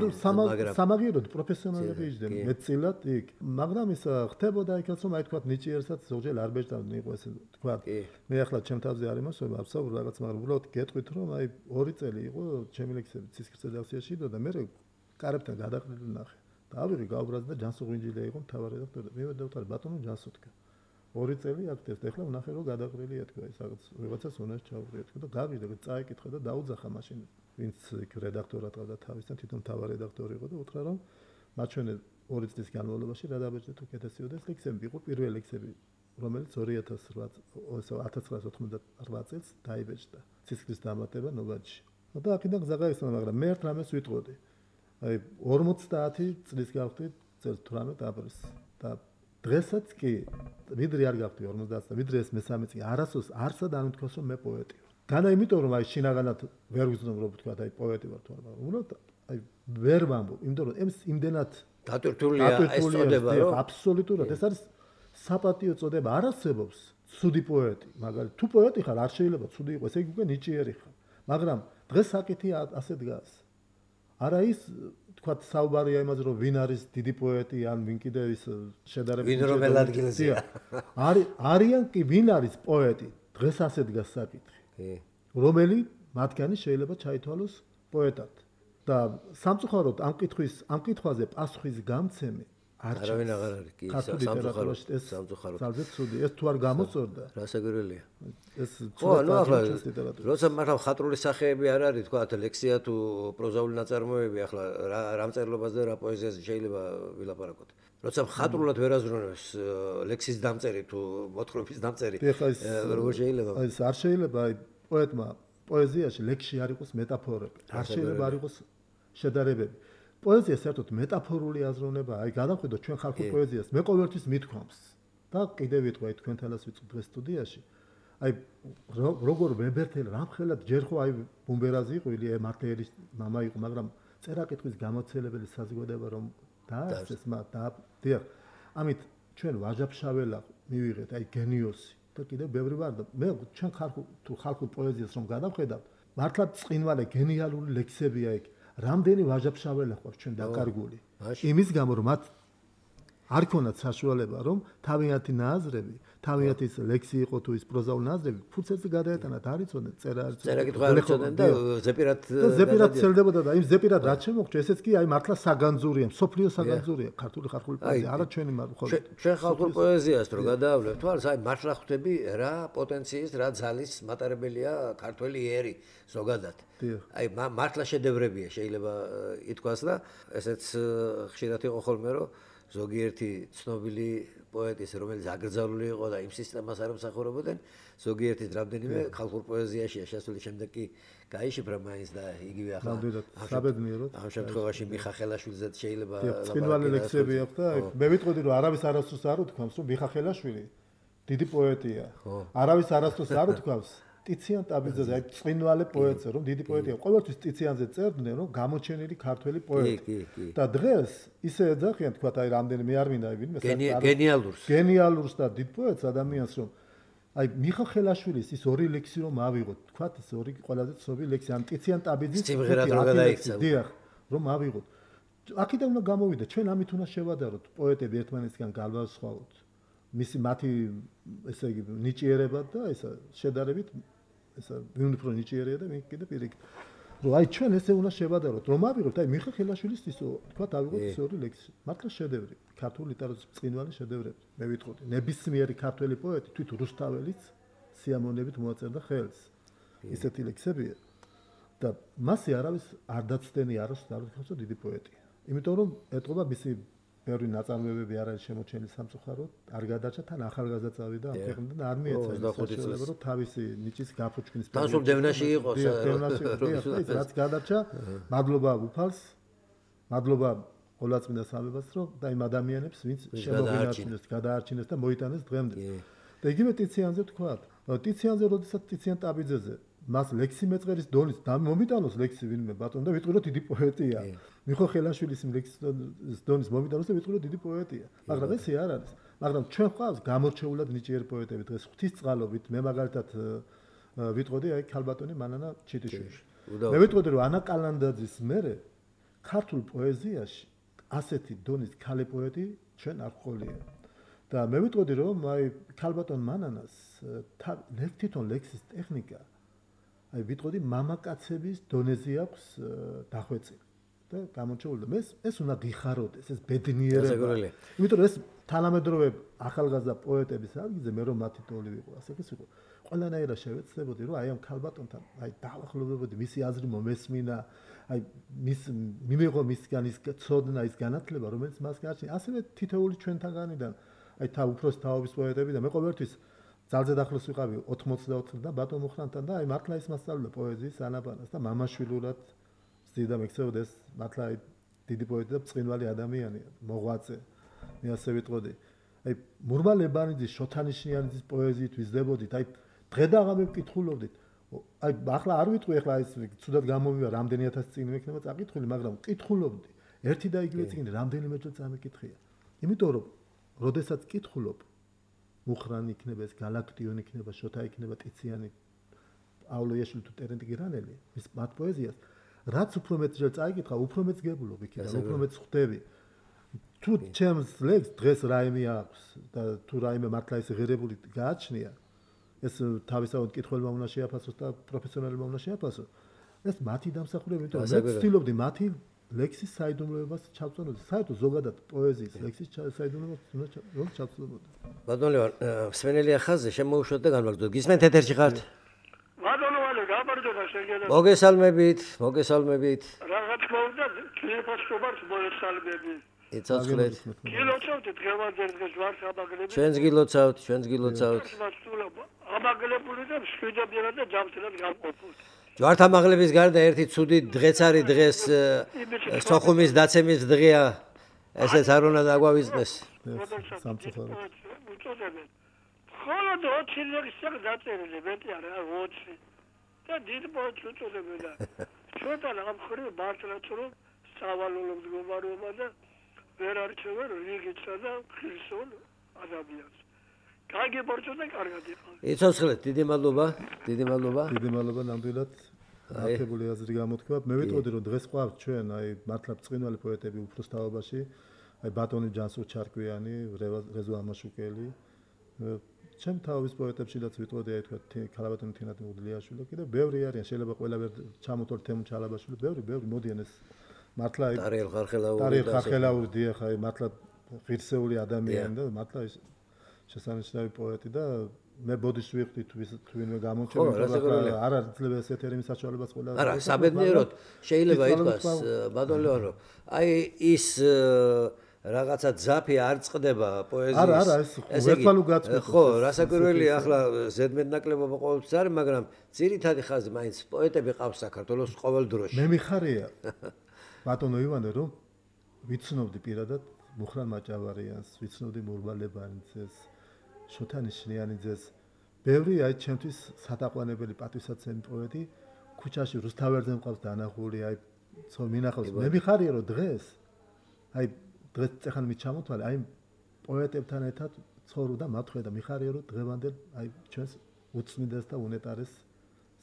სამაგიეროდ პროფესიონალები იჯდნენ მეტწილად იქ. მაგრამ ის ხდებოდა იქაც რომ აი თქვათ ნიჭიერსაც ზოგჯერ არ ბეჭდავდნენ იყო ესე თქვათ. მე ახლა ჩემ თავზე არ იმასვება აბსოლუტურად რაღაც, მაგრამ უბრალოდ გეტყვით რომ აი 2 წელი იყო ჩემი ლექსები ცისკრის რედაქციაში და მე კარებთან გადაყრილი ნახე. დავიღე გავბრაზ და ჯანსუღ ვინჯილია იყო მთავარი რედაქტორი. მე დავთვალე ბატონო ჯანსუღკა. 2 წელი აქტივს და ახლა ვნახე რომ გადაყრილია თქვა ის რაღაც ვიღაცას უნარს ჩაუღრია თქვა და გავიდე და წაიკითხა და დაუძახა მაშინ ვინც რედაქტორად ყავდა თავისთან თვითონ მთავარი რედაქტორი იყო და უთხრა რომ მათ ჩვენე 2 წლის განმავლობაში რა დაბეჭდეთ უკეთესიოდა ეს ლექსები იყო პირველი ლექსები რომელიც 1998 წელს დაიბეჭდა ცისკრის დამატება ნოვაჩი. და აქედან გზა გაიხსნა, მაგრამ მე ერთ რამეს ვიტყოდი. აი 50 წლის გავხდით წელს 18 აპრილს და დღესაც კი ვიდრე არ გავხდი 50 და ვიდრე ეს მე-3 წელი არასოს არსად არ მითქოს რომ მე პოეტი ვარ. განა იმიტომ რომ აი შინაგანად ვერ ვიზნობ რომ ვთქვა აი პოეტი ვარ თუ არა, უბრალოდ აი ვერ ვამბობ, იმიტომ რომ ეს იმდენად დატვირთულია ეს წოდება რომ აბსოლუტურად ეს არის საპატიო წოდება, არ არსებობს ცუდი პოეტი, მაგალითად თუ პოეტი ხარ არ შეიძლება ცუდი იყოს, ესე იგი უკვე ნიჭიერი ხარ. მაგრამ დღეს საკითხი ასე დგას. არა ის თქვა საუბარია იმაზე რომ ვინ არის დიდი პოეტი ან ვინ კიდევ ის შედარებით ვინ რომელ ადგილზეა. არიან კი ვინ არის პოეტი, დღეს ასე დგას საკითხი. რომელი მათგანი შეიძლება ჩაითვალოს პოეტად. და სამწუხაროდ ამ კითხვაზე პასუხის გამცემი არავინ აღარ არის კი სამწუხაროდ ეს ძალზე ცუდი ეს თუ არ გამოწორდა რასაკვირველია ეს როცა მართლა ხატრული სახეები არ არის თქვა ლექსია თუ პროზაული ნაწარმოები ახლა რა მწერლობაზე და რა პოეზიაზე შეიძლება ვილაპარაკოთ როცა ხატრულად ვერ აზროვნებს ლექსის დამწერი თუ მოთხრობის დამწერი როგორ შეიძლება ეს არ შეიძლება აი პოეტმა პოეზიაში ლექსში არ იყოს მეტაფორები არ შეიძლება არ იყოს შედარებები პოეზია საერთოდ მეტაფორული აზროვნება, აი გადავხედოთ ჩვენ ხალხურ პოეზიას, მე ყოველთვის მithქვამს და კიდევ ვიტყვი თქვენთანაც ვიწვდ დღეს სტუდიაში. აი როგორ ვებერთელი რამხელად ჯერ ხო აი ბუმბერაზი იყო, ილია მარტეელის მამა იყო, მაგრამ წერა-კითხვის გამოცდილებელი საზოგადოება რომ დაასწრეს მათ და დიახ, ამით ჩვენ ვაჟა-ფშაველა მივიღეთ აი გენიოსი და კიდევ ბევრი ვარ და მე ჩვენ ხალხურ პოეზიას რომ გადავხედავთ, მართლა წინვალე გენიალური ლექსებია იქ. რამდენი ვაჟა-ფშაველა ხარ ჩვენ დაკარგული იმის გამო რომ მათ არ ქონათ საშუალება რომ თავიანთი ნაზრები თავიანთი ლექსი იყო თუ ის პროზაული ნაზრები ფუძეზე გადაეტანათ არ იცოდნენ წერა-კითხვა არ იცოდნენ და ზეპირად ცელდებოდა და იმ ზეპირად რაც შემოგვჭა ესეც კი აი მართლა საგანძურია მსოფლიო საგანძურია ქართული ხალხური პოეზია არა ჩვენი ჩვენ ხალხურ პოეზიას რო გადაავლევთ თვალს აი მართლა ხვდები რა პოტენციის რა ძალის მატარებელია ქართველი ერი ზოგადად აი მართლა შედევრებია შეიძლება ითქვას და ესეც ხშირად იყო ხოლმე რომ ზოგიერთი ცნობილი პოეტის, რომელიც აკრძალული იყო და იმ სისტემას არ ემსახურებოდნენ, ზოგიერთის რამდენიმე ხალხურ პოეზიაშია შესული, შემდეგ კი გაიშიფრა მაინც და იგივე ახლა საბედნიეროდ. ამ შემთხვევაში მიხა ხელაშვილზეც შეიძლება წინვალი ლექსები აქვს და მე ვიტყოდი რომ არავის არასდროს არ უთქვამს რომ მიხა ხელაშვილი დიდი პოეტია. არავის არასდროს არ უთქვამს ტიციან ტაბიძეზე, აი წინვალე პოეტზე, რომ დიდი პოეტია. ყოველთვის ტიციანზე წერდნენ, რომ გამოჩენილი ქართველი პოეტი. და დღეს ისე ეძახიან, თქვა, აი რამდენი მე არ მინდა აი ვინმე გენიალურს და დიდ პოეტს ადამიანს, რომ აი მიხა ხელაშვილის ის ორი ლექსი რომ ავიღოთ, თქვა, ეს ორი ყველაზე ცნობილი ლექსი, ან ტიციან ტაბიძის სიმღერად რო გადაიქცა. დიახ, რომ ავიღოთ. აქედან უნდა გამოვიდეთ, ჩვენ ამით უნდა შევადაროთ პოეტები ერთმანეთისგან განვასხვაოთ. მისი მათი ესე იგი ნიჭიერება და ესა შედარებით ესა ვინ უფრო ნიჭიერია და ვინ კიდე პირიქით. რომ აი ჩვენ ესე უნდა შევადაროთ, რომ ავიღოთ აი მიხა ხელაშვილის ისო, თქვა ავიღოთ ეს ორი ლექსი. მართლა შედევრი, ქართული ლიტერატურის წინვალი შედევრები. მე ვიტყოდი, ნებისმიერი ქართველი პოეტი, თვით რუსთაველიც სიამოვნებით მოაწერდა ხელს. ისეთი ლექსებია. და მასე არავის არ დაცდენი აროს დაუთხოს დიდი პოეტია. იმიტომ რომ ეტყობა მისი ბევრი ნაწარმოებები არ არის შემოჩენილი სამწუხაროდ, არ გადარჩა თან ახალგაზრდა წავიდა ამ ქვეყნიდან და არ მიეცა შესაძლებლობა რომ თავისი ნიჭის გაფუჩქნის პერიოდში დევნაში იყოს. დევნაში ის რაც გადარჩა, მადლობა უფალს, მადლობა ყოლაწმინდა სამებას რომ და იმ ადამიანებს ვინც შემოგვინარჩუნეს, გადაარჩინეს და მოიტანეს დღემდე. და იგივე ტიციანზე თქვა, ტიციანზე როდესაც ტიციან ტაბიძეზე მას ლექსი მეწყერის დონის და მომიტანოს ლექსი ვინმე ბატონო და ვიტყვი რომ დიდი პოეტია. მიხო ხელაშვილის ლექსის დონის მომიტანოს და ვიტყვი რომ დიდი პოეტია. მაგრამ ესე არ არის. მაგრამ ჩვენ ხავს გამორჩეულად ნიჭიერი პოეტები დღეს ღვთისწყალობით მე მაგალითად ვიტყოდი აი ქალბატონი მანანა ჩიტიშვილი. მე ვიტყოდი რომ ანა კალანდაძის მერე ქართულ პოეზიაში ასეთი დონის ქალი პოეტი ჩვენ არ ყოლია. და მე ვიტყოდი რომ აი ქალბატონ მანანას თვითონ ლექსის ტექნიკა აი ვიტყოდი მამაკაცების დონეზე აქვს დახვეწილი და გამორჩეული და ეს უნდა გიხაროდეს ეს ბედნიერება. იმიტომ რომ ეს თანამედროვე ახალგაზრდა პოეტების ადგილზე მე რომ მათი ტოლი ვიყო, ასე იყო. ყველანაირად შევეცდებოდი რომ აი ამ ქალბატონთან აი დაახლოვებოდი მისი აზრი მომესმინა, აი მიმეღო მისგან ის ცოდნა ის განათლება რომელიც მას გააჩნია. ასევე თითოეული ჩვენთაგანიდან აი უფროს თაობის პოეტები და მე ყოველთვის ძალზე დახლოს ვიყავი 84 და ბატონ მუხრანთან და აი მართლა ის მასწავლდა პოეზიის ანაბანას და მამაშვილურად ზიდა მეკცეოდა ეს მართლა აი დიდი პოეტი და წინვალი ადამიანია, მოღვაწე. მე ასე ვიტყოდი. აი მურმა ლებანიძის, შოთანიშნიანის პოეზიით ვიზდებოდით, აი დღე და ღამე ვკითხულობდით. აი ახლა არ ვიტყვი ახლა ეს ცუდად გამომივა რამდენი ათასი წიგნი მექნება წაკითხული, მაგრამ ვკითხულობდი. ერთი და იგივე წიგნი რამდენიმე წელს წამეკითხია. იმიტომ რომ როდესაც ვკითხულობ მუხრანი იქნება ეს გალაქტიონი იქნება შოთა იქნება ტიციანი პავლოიაშვილი თუ ტერენტი გირანელი ის მათ პოეზიას რაც უფრო მეტ ჯერ წაიკითხა უფრო მეტ გებულობ იქიდან უფრო მეტ ხვდები თუ ჩემს ლექს დღეს რაიმე აქვს და თუ რაიმე მართლა ეს ღირებული გააჩნია ეს თავისთავად კითხველმა უნდა შეაფასოს და პროფესიონალებმა უნდა შეაფასოს ეს მათი დამსახურება იმიტომ რომ მე ვცდილობდი მათი ლექსის საიდუმლოებას ჩავწონოთ. საერთოდ ზოგადად პოეზიის ლექსის საიდუმლოებას უნდა ჩავწონოთ. ბატონო ლევან, სვენელია ხაზზე შემოუშვათ და განვაგრძოთ. გისმენთ ეთერში ხართ? ბატონო ვალე, გაბარდება შეგედა. მოგესალმებით. რა თქმა უნდა, ქლიფასკობარს მოგესალმები. იცოცხლეთ. გილოცავთ დღევანდელ დღეს ვარ ამაგლები. ჩვენს გილოცავთ. ამაგლებული და მშვიდობიანად და ჯანმრთელად გამყოფოთ. ჯვართამაღლების გარდა ერთი ცუდი დღეც არის დღეს სოხუმის დაცემის დღეა ესეც არ უნდა დაგვავიწყდეს სამწუხაროდ უწოდებენ ხოლო 20 ლექსი დაწერილი მეტი არა 20 და დიდ პოეტს უწოდებენ და ჩვენთან ამ ხრი მართლაც რომ სავალალო მდგომარეობა და ვერ არჩევენ რიგისა და ქრისტონ ადამიანს გაგებორჩო და კარგად იყავ. იცოცხლეთ, დიდი მადლობა. დიდი მადლობა ნამდვილად. აქტიური აზრი გამოთქვა. მე ვიტყოდი რომ დღეს ყავთ ჩვენ აი მართლა წინვალი პოეტები უფროს თაობაში, აი ბატონი ჯანსუღ ჩარკვიანი, რეზო ამაშუკელი. ჩემ თავის პოეტებშიც ვიტყოდი აი თქვა ქალბატონი თინათ მუდლიაშვილი, კიდევ ბევრი არიან, შეიძლება ყველა ვერ ჩამოთვალ თემ ჩალაბაშვილი, ბევრი მოდიან ეს მართლა აი ტარიელ ხარხელაური დიახ აი მართლა ღირსეული ადამიანი და მართლა ის შესანიშნავი პოეტი და მე ბოდიშ ვიყდი თუ ვინმე გამომჩენილი არ იძლევა ეს ეთერიმის საშუალებას ყველა არა საბედნიეროდ შეიძლება ითქვას ბატონო ლევან რომ აი ის რაღაცა ძაფი არ წყდება პოეზიის. არა, ეს ერთმანუ გაწყვეტს. ხო, რასაკვირველია, ახლა ზედმეტნაკლებობა ყოველთვის არის, მაგრამ ძირითადი ხაზი მაინც პოეტები ყავს საქართველოს ყოველ დროში. მე მიხარია ბატონო ივანე, რომ ვიცნობდი პირადად მუხრან მაჭავარიანს, ვიცნობდი მურმალებანიძეს, შოთა ნიშნიანიძეს. ბევრი აი ჩემთვის სათაყვანებელი პატივსაცემი პოეტი ქუჩაში რუსთავერზე მყავს დანახული, აი მინახავს. მე მიხარია რომ დღეს აი დღეს წეხან მიჩამოთვალე, აი პოეტებთან ერთად ცხოვრობ და მათხვედა მიხარია რომ დღევანდელ აი ჩვენს უცნიდეს და უნეტარეს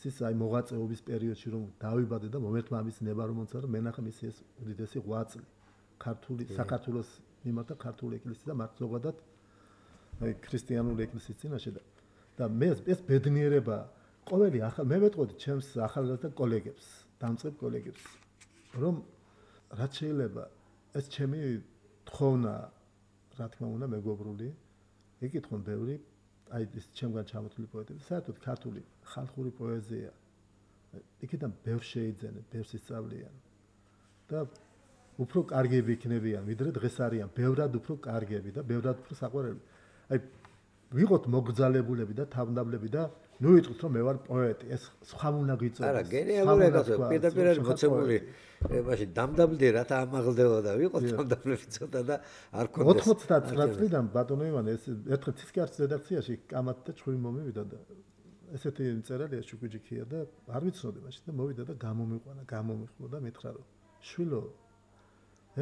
ის აი მოღვაწეობის პერიოდში რომ დავიბადე და მომერთმა ამის ნება რომ მომცა რომ მენახე მისი ეს უდიდესი ღვაწლი ქართული საქართველოს მიმართ ქართული ეკლესიის და მათ ზოგადად აი ქრისტიანული ეკლესიის წინაშე და მე ეს ბედნიერება ყოველი ახალ მე ვეტყოდი ჩემს ახალგაზრდა კოლეგებს, დამწყებ კოლეგებს, რომ რაც შეიძლება ეს ჩემი თხოვნა, რა თქმა უნდა, მეგობრული, ეკითხონ ბევრი, აი ეს ჩემგან ჩამოთვლილი პოეტები, საერთოდ ქართული ხალხური პოეზია, იქიდან ბევრ შეიძენენ, ბევრს ისწავლიან და უფრო კარგები იქნებიან, ვიდრე დღეს არიან, ბევრად უფრო კარგები და ბევრად უფრო საყვარელი. აი ვიყოთ მოგზალებულები და თავდაბლები და ნუ ვიტყვით რომ მე ვარ პოეტი, ეს სხვა უნდა გიწოდოს. არა, გენიალური კაცო, პირდაპირ არის მოცემული. მაშინ დამდაბლდი რათა ამაღლდებოდა და ვიყოთ თავდაბლები ცოტა და არ ქონდეს. 99 წლიდან ბატონო ივანე ეს ერთხელ ცისკარის რედაქციაში კამათ და ჭვილი მომივიდა და ესეთი წერალია შუქუჯიქია და არ ვიცნობდი მაშინ და მოვიდა და გამომიყვანა და მითხრა რომ შვილო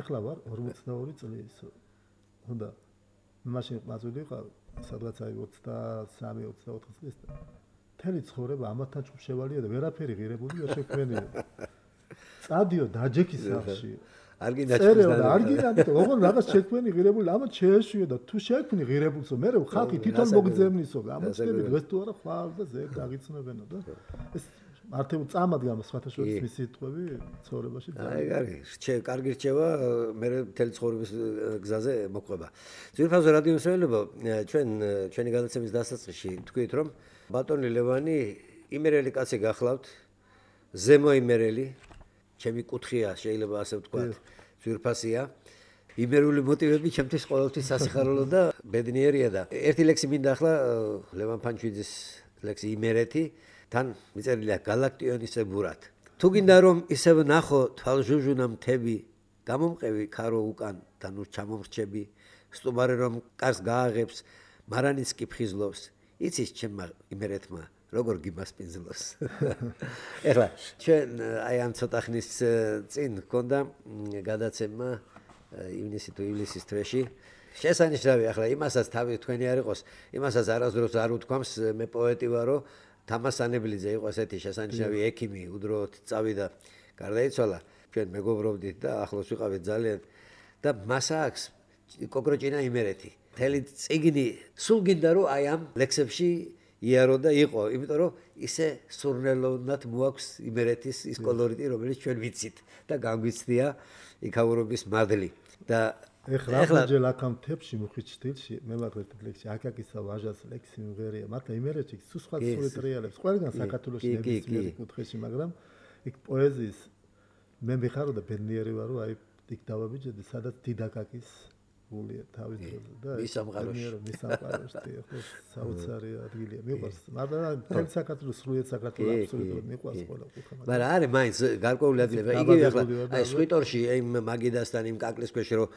ეხლა ვარ 42 წლის. უნდა მაშინ მაწვდი ვიყავ სადღაც აი 23-24 წლის და მთელი ცხოვრება ამათთან ჭუბ შევალია და ვერაფერი ღირებული ვერ შექმნია. წადიო დაჯექის სახში. არ გინდა წერეო არ გინდა ოღონდ რაღაც შექმნი ღირებული ამათ შეეშვიო და თუ შექმნი ღირებულსო მე ხალხი თვითონ მოგძებნისო ამოწები დღეს თუ არა ხვალ და ზე დაგიცნობენო და ეს მართლა წამად გამო სხვათა შორის მისი სიტყვები ცხოვრებაში აი კარგი რჩევა მე მთელი ცხოვრების გზაზე მოყვება. ძვირფასო რადიო მსმენელებო, ჩვენი გადაცემის დასაწყისში თქვით რომ ბატონი ლევანი იმერელი კაცი გახლავთ, ზემო იმერელი, ჩემი კუთხეა შეიძლება ასე ვთქვათ, ძვირფასია. იმერული მოტივები ჩემთვის ყოველთვის სასიხარულო და ბედნიერია და ერთი ლექსი მინდა ახლა ლევან ფანჩვიძის ლექსი იმერეთი თან მიწერილია გალაქტიონისებურად. თუ გინდა რომ ისევ ნახო თვალჟუჟუნა მთები, გამომყევი ქარო უკან და ნუ ჩამომრჩები, სტუმარი რომ კარს გააღებს, მარანიც კი ფხიზლობს, იცის ჩემმა იმერეთმა როგორ გიმასპინძლოს. ეხლა ჩვენ აი ამ ცოტა ხნის წინ გქონდა გადაცემა ივნისი თუ ივლისის თვეში. შესანიშნავი ახლა იმასაც თავი თქვენი არ იყოს, იმასაც არასდროს არ უთქვამს მე პოეტი ვარო. თამას ანებლიძე იყო ესეთი შესანიშნავი ექიმი, უდროოდ წავიდა, გარდაიცვალა. ჩვენ მეგობრობდით და ახლოს ვიყავით ძალიან და მას აქვს კოკროჭინა იმერეთი. მთელი წიგნი სულ გინდა რომ აი ამ ლექსებში იარო და იყო, იმიტომ რომ ისე სურნელოვნად მოაქვს იმერეთის ის კოლორიტი, რომელიც ჩვენ ვიცით და განგვიცდია იქაურობის მადლი. და ეხლა ჯერ აქამ თებში მუხით სტილში მე მაგერტ ლექსი აკაკისა ვაჟას ლექსი მღერია მართლა იმერეთში სულ სხვა სულიტრიალებს ყველგან საქართველოში ნებისმიერ კუთხეში მაგრამ იქ პოეზიის მე მიხარო და ბედნიერი ვარ რომ აი იქ დავაბიჯედი სადაც დიდაკაკის გულია თავის დროზე და მის სამყაროში ხო საოცარი ადგილია მიყვარს მაგრამ თელ საქართველოს სრულიად საქართველოს აბსოლუტურად მიყვარს ყველა კუთხე მაგრამ არის მაინც გარკვეული ადგილები იგივე ახლა აი სვიტორში იმ მაგიდასთან იმ კაკლის ქვეშ რომ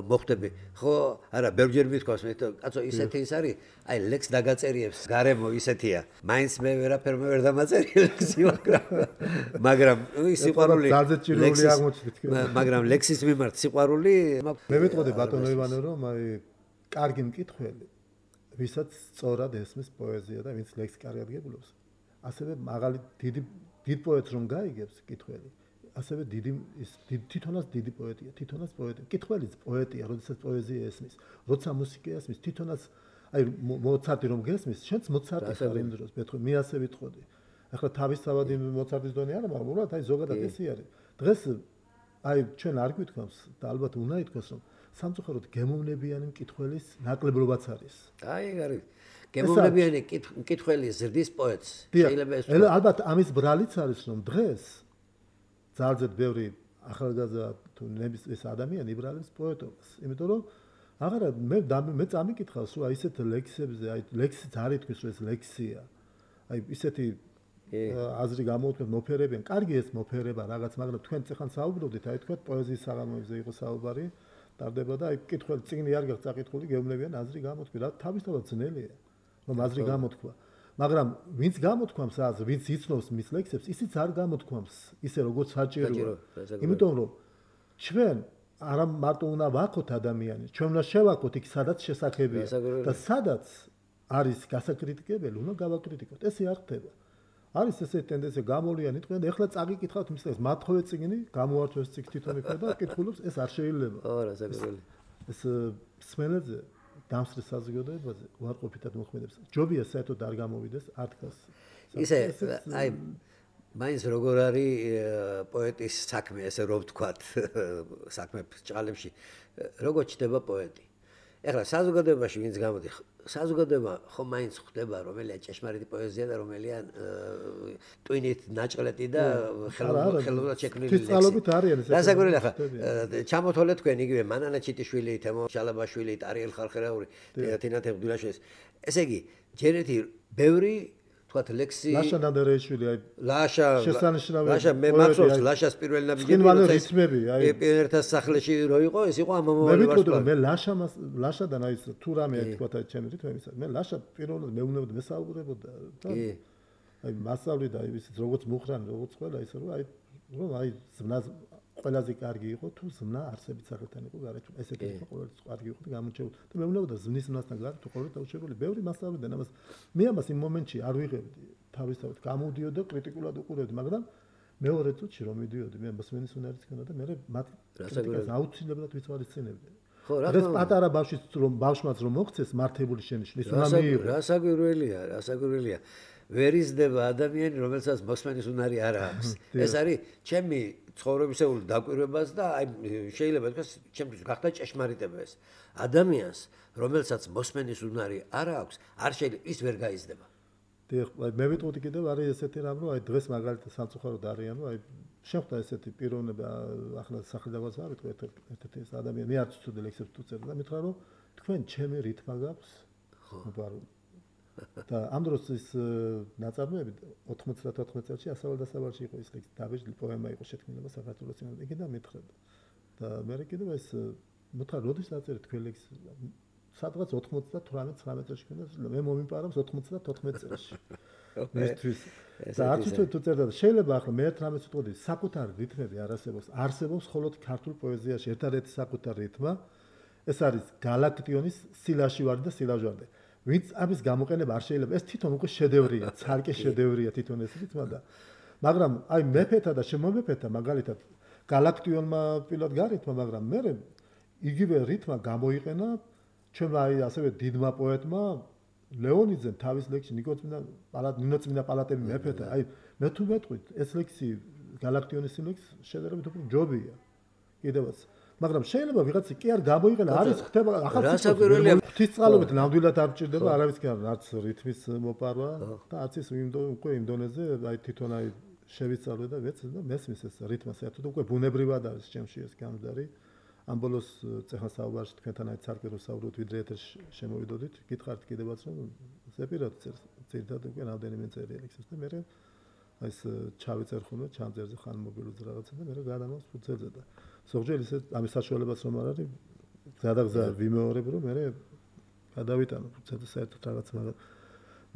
მოხვდები ხო არა ბევრჯერ მithქვას მე კაცო ისეთი ის არის აი ლექს დაგაწერიებს გარემო ისეთია მაინც მე ვერაფერ მე ვერ დამაწერი ლექსი მაგრამ ის სიყვარული მაგრამ ლექსის მიმართ სიყვარული მე ვეტყოდი ბატონო ივანე რომ აი კარგი მკითხველი ვისაც სწორად ესმის პოეზია და ვინც ლექსი კარგად გებულობს ასევე მაღალი დიდ პოეტს რომ გაიგებს მკითხველი ასევე თვითონაც დიდი პოეტია თვითონაც პოეტი მკითხველიც პოეტია როდესაც პოეზია ესმის როცა მუსიკა ესმის თვითონაც აი მოცარტი რომ გესმის შენც მოცარტი ხარ იმ დროს მეთქო მე ასე ვიტყოდი ახლა თავისთავად მოცარტის დონე არა მაგრამ უბრალოდ აი ზოგადად ესე არის დღეს აი ჩვენ არ გვითქვამს და ალბათ უნდა ითქვას რომ სამწუხაროდ გემოვნებიანი მკითხველის ნაკლებობაც არის. აი არის. გემოვნებიანი მკითხველის ზრდის პოეტს შეიძლება ეს ალბათ ამის ბრალიც არის რომ დღეს ძალზედ ბევრი ახალგაზრდა თუ ნების ეს ადამიანი იბრალებს პოეტობას. იმიტომ რომ აღარა მე წამიკითხავს რომ აი ესეთ ლექსებზე, აი ლექსიც არ ითქვის რომ ეს ლექსია. აი ისეთი აზრი გამოვთქვათ მოფერებიან. კარგი ეს მოფერება რაღაც, მაგრამ თქვენ წეხან საუბრობდით, აი თქვათ პოეზიის საღამოებზე იყო საუბარი, ტარდება და აი კითხველი წიგნი არ გაქვს წაკითხული, გეუბნებიან აზრი გამოთქვი. რა თავისთავად ძნელია, რომ აზრი გამოთქვა. მაგრამ ვინც გამოთქვამს აზრს, ვინც იცნობს მის ლექსებს, ისიც არ გამოთქვამს ისე როგორც საჭიროა. იმიტომ რომ ჩვენ არა მარტო უნდა ვაქოთ ადამიანს, ჩვენ უნდა შევაქოთ იქ სადაც შესაძლებელია და სადაც არის გასაკრიტიკებელი, უნდა გავაკრიტიკოთ. ესე არ ხდება. არის ესე ტენდენცია გამოვლიანი თქვენ და ეხლა წაგიკითხავთ მის ლექსს, მათხოვე წიგნი, გამოართვეს წიგნი თვითონ იქ და კითხულობს, ეს არ შეიძლება. ეს სმენელზე დამსწრე საზოგადოებაზე უარყოფითად მოქმედებს. ჯობია საერთოდ არ გამოვიდეს არტკას. ისე აი მაინც როგორ არის პოეტის საქმე, ესე რომ ვთქვათ, საქმე ჭალებში, როგორ ჩდება პოეტი. ეხლა საზოგადოებაში ვინც გამოდის, საზოგადოება ხომ მაინც ხვდება რომელია ჭეშმარიტი პოეზია და რომელია ტვინით ნაჭყლეტი და ხელოვნურად შექმნილი ლექსი. ფიზიკალობით არიან ეს. რასაკვირველია ხა ჩამოთვალეთ თქვენ იგივე მანანა ჩიტიშვილი, თემო შალაბაშვილი, ტარიელ ხალხერაური, თინათ ეხდულაშვილის. ესე იგი, ჯერ ერთი ბევრი თქვათ ლექსი ლაშა ნადარეიშვილი, აი ლაშა მე მახსოვს ლაშას პირველი ნაბიჯები პიონერთა სახლეში რო იყო, ეს იყო ამომავალი ვარსკვლავი. მე ლაშადან აი თუ რამე თქვათ აი ჩემი რითმა იმისა. მე ლაშა პირველად მეუბნებოდი, მესაუბრებოდა და აი მასწავლი და აი ისიც როგორც მუხრან, როგორც ყველა ისე რომ აი ზმნა ყველაზე კარგი იყო თუ ზმნა არსებით სახელთან იყო გარეთ. ესეთი იყო ყოველთვის კარგი იყო და გამოჩეული. და მეუბნებოდა ზმნის ზმნასთან გარეთ თუ ყოველთვის დაუშვებელი. ბევრი მასწავლიდან ამას მე ამას იმ მომენტში არ ვიღებდი. თავისთავად გამოდიოდა კრიტიკულად უყურებდი, მაგრამ მეორე წუთში რომ მიდიოდი, მე მოსმენის უნარიც ქონდა და მე მათ კრიტიკას აუცილებლად ვიცვალისწინებდი. ხო, რა თქმა უნდა. პატარა ბავშვმაც რომ მოქცეს მართებული შენიშვნა, ის უნდა მიიღო. რასაკვირველია. ვერ იზრდება ადამიანი, რომელსაც მოსმენის უნარი არ აქვს. ეს არის ჩემი ცხოვრებისეული დაკვირვებაც და აი შეიძლება თქვას ჩემთვის გახდა ჭეშმარიტება ეს. ადამიანს, რომელსაც მოსმენის უნარი არ აქვს, არ შეიძლება ის ვერ გაიზრდება. დიახ, მე ვიტყოდი კიდევ არის ესეთი რამ, რომ აი დღეს მაგალითად სამწუხაროდ არიან, რომ აი შეხვდა ესეთი პიროვნება, ახლა სახელდაგვაც არ ვიტყვი ერთ-ერთი ეს ადამიანი, მე არც ვწუდი ლექსებს თუ წერდა და მითხრა რომ თქვენ ჩემი რითმა გაქვს? ხო. და ამ დროს ის ნაწარმოები 90-14 წელში ასავალ-დასავალში იყო ის ლექსი, დაბეჭდი პოემა იყო შექმნილება საქართველოს წინააღმდეგ. იგი და მითხრა. და მე კიდევ ეს მითხრა, როდის დაწერეთ თქვენ ლექსი? სადღაც 98-19 წელს ქონდა, მე მომიპარავს 94 წელს. მისთვის. და არც თუ წერდა, შეიძლება ახლა მე ერთ რამეს ვიტყოდი, საკუთარი რითმები არ არსებობს. არსებობს მხოლოდ ქართულ პოეზიაში ერთადერთი საკუთარი რითმა, ეს არის გალაქტიონის სილაშვარი და სილაჟვარდე. ვინც ამის გამოყენება არ შეიძლება, ეს თვითონ უკვე შედევრია, ცალკე შედევრია თვითონ ეს რითმა და მაგრამ აი მეფეთა და შემომეფეთა მაგალითად გალაქტიონმა პირად გარეთმა, მაგრამ მე იგივე რითმა გამოიყენა ჩვენმა აი ასევე დიდმა პოეტმა ლეონიძემ თავის ლექსში ნინოწმინდა პალატები მეფეთა. აი მე თუ მეტყვით ეს ლექსი გალაქტიონის ლექსი შედარებით უფრო ჯობია კიდევაც. მაგრამ შეიძლება ვიღაცი კი არ გამოიყენა, არის ხდება ახალწლოვანია. ღვთისწყალობით ნამდვილად არ ჭირდება არავის კი არც რითმის მოპარვა და არც ის უკვე იმ დონეზე აი თვითონ აი შევიცალე და ვეცე და მესმის ეს რითმა საერთოდ უკვე ბუნებრივად არის ჩემში ეს გამძარი. ამ ბოლოს წეხა საუბარში თქვენთან აი ცალკე საუბრობთ ვიდრე ეთერში შემოვიდოდით, გითხარით კიდევაც რომ ზეპირად წერდა უკვე რამდენიმე წერია ლექსებს და მე აი ეს ჩავიწერ ხოლმე ჩამძერზე ხან მობილოზე რაღაცა და მე გადამავს ფუძელზე და ზოგჯერ ისე ამის საშუალებაც რომ არ არის გადაგზა ვიმეორებ რომ მე გადავიტანო ფუძელზე საერთოდ რაღაც მაგრამ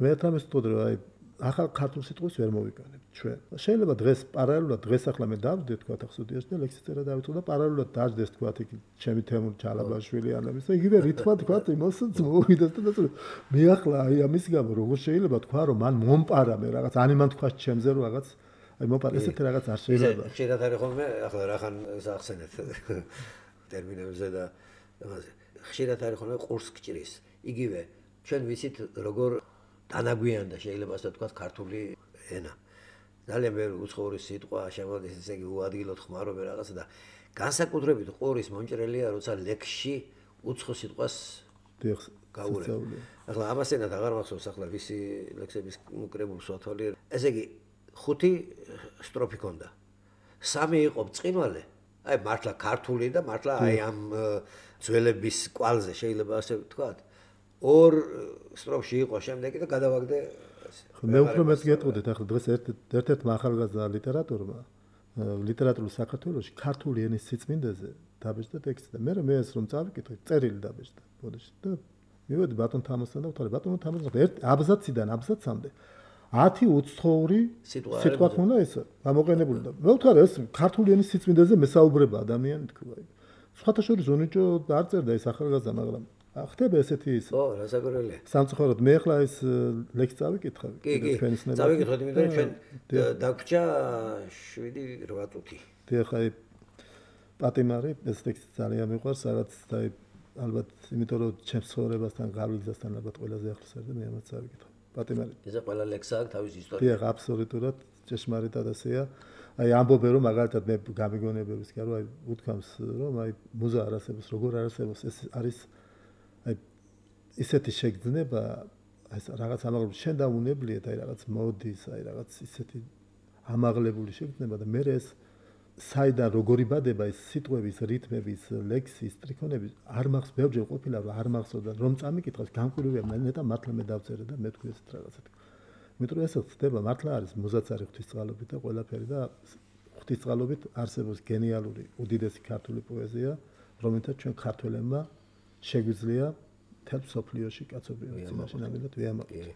მე თამეს ვთქვი რომ აი ახალ ქართულ სიტყვის ვერ მოვიკანებ ჩვენ. შეიძლება დღეს პარალელურად დღეს ახლა მე დავდე თქვა ახსოდიაში და ლექსი წერა დავიწყო და პარალელურად დაждდეს თქვა იქ ჩემი თემური ჩალაბაშვილი ანების და იგივე რითმა თქვა იმასაც მოვიდეს და მე ახლა აი ამის გამო როგორ შეიძლება თქვა რომ მან მომპარა მე რაღაც ანიმან თქვა ჩემზე რომ რაღაც აი მომპარა ესეთი რაღაც არ შეიძლება. შეიძლება არის ხოლმე ახლა რახან ახსენეთ ტერმინებზე და ხშირად არის ხოლმე ყურს გჭრის. იგივე ჩვენ ვიცით როგორ დანაგვიანდა შეიძლება ასე ვთქვათ ქართული ენა. ძალიან ბევრი უცხოური სიტყვა შემოდის, ესე იგი უადგილოდ ხმარობენ რაღაცა და განსაკუთრებით ყურის მომჭრელია, როცა ლექსში უცხო სიტყვას გაურევ. ახლა ამას ენად აღარ მახსოვს ახლა ვისი ლექსების უკრებულს ვათვალიერებ. ესე იგი 5 სტროფი ქონდა. 3 იყო ბრწყინვალე, აი მართლა ქართული და მართლა აი ამ ძველების კვალზე შეიძლება ასე ვთქვათ. ორ სტროფში იყო შემდეგი და გადავაგდე მე უფრო მეც გეტყოდეთ ახლა დღეს ერთ-ერთ ახალგაზრდა ლიტერატურმა ლიტერატურულ საქართველოში ქართული ენის სიწმინდეზე დაბეჭდა ტექსტი და მე ეს რომ წავიკითხე წერილი დაბეჭდა ბოდიში და მივედი ბატონ თამასთან და ვთქვი ბატონ თამასთან ერთ აბზაციდან აბზაცამდე 10 უცხოური სიტყვა ხმונה ეს გამოყენებული და მე ვთქვი ეს ქართული ენის სიწმინდეზე მესაუბრება ადამიანი თქვა სხვათა შორის უნიჭო არ წერდა ეს ახალგაზრდა მაგრამ ხდება ესეთი ის ო რასაკვირველია სამწუხაროდ მე ახლა ეს ლექსი წავიკითხე ჩვენის ნება წავიკითხოთ იმიტომ რომ ჩვენ დაგჭა 7-8 წუთი და ხა პატიმარი ეს ტექსტი ძალიან მიყვარს რაღაც და ალბათ იმიტომ რომ ჩემს ცხოვრებასთან გავლისასთან ალბათ ყველაზე ახლოს არის და მე ამაც წავიკითხე პატიმარი ეს ყველა ლექსა აქვს თავის ისტორია დიახ აბსოლუტურად ჭეშმარიტად ასეა აი ამბობენ რომ მაგალითად მე გამიგონებების კი არა აი უთქვამს რომ აი მუზა არ არსებობს როგორ არ არსებობს ეს არის აი ისეთი შეგრძნება ეს რაღაც ამაღლებული შენ დაუნებლიეთ აი რაღაც მოდის აი რაღაც ისეთი ამაღლებული შეგრძნება და მე ეს საიდან როგორი ბადება ეს სიტყვების რითმების ლექსის ტრიქონები არ მახსოვს ბევრჯერ ყოფილა არ მახსოვდა რომ წამიკითხავს განკვირვებია მე და მართლა მე დავწერე და მე თქვი ეს რაღაცა იმიტომ რომ ეს ხდება მართლა არის მუზაც არის ღვთისწყალობით და ყველაფერი და ღვთისწყალობით არსებობს გენიალური უდიდესი ქართული პოეზია რომელთაც ჩვენ ქართველებმა შეგვიძლია თელ სოფლიოში კაცობრიობის წინაშე ნამდვილად ვიამაყოთ.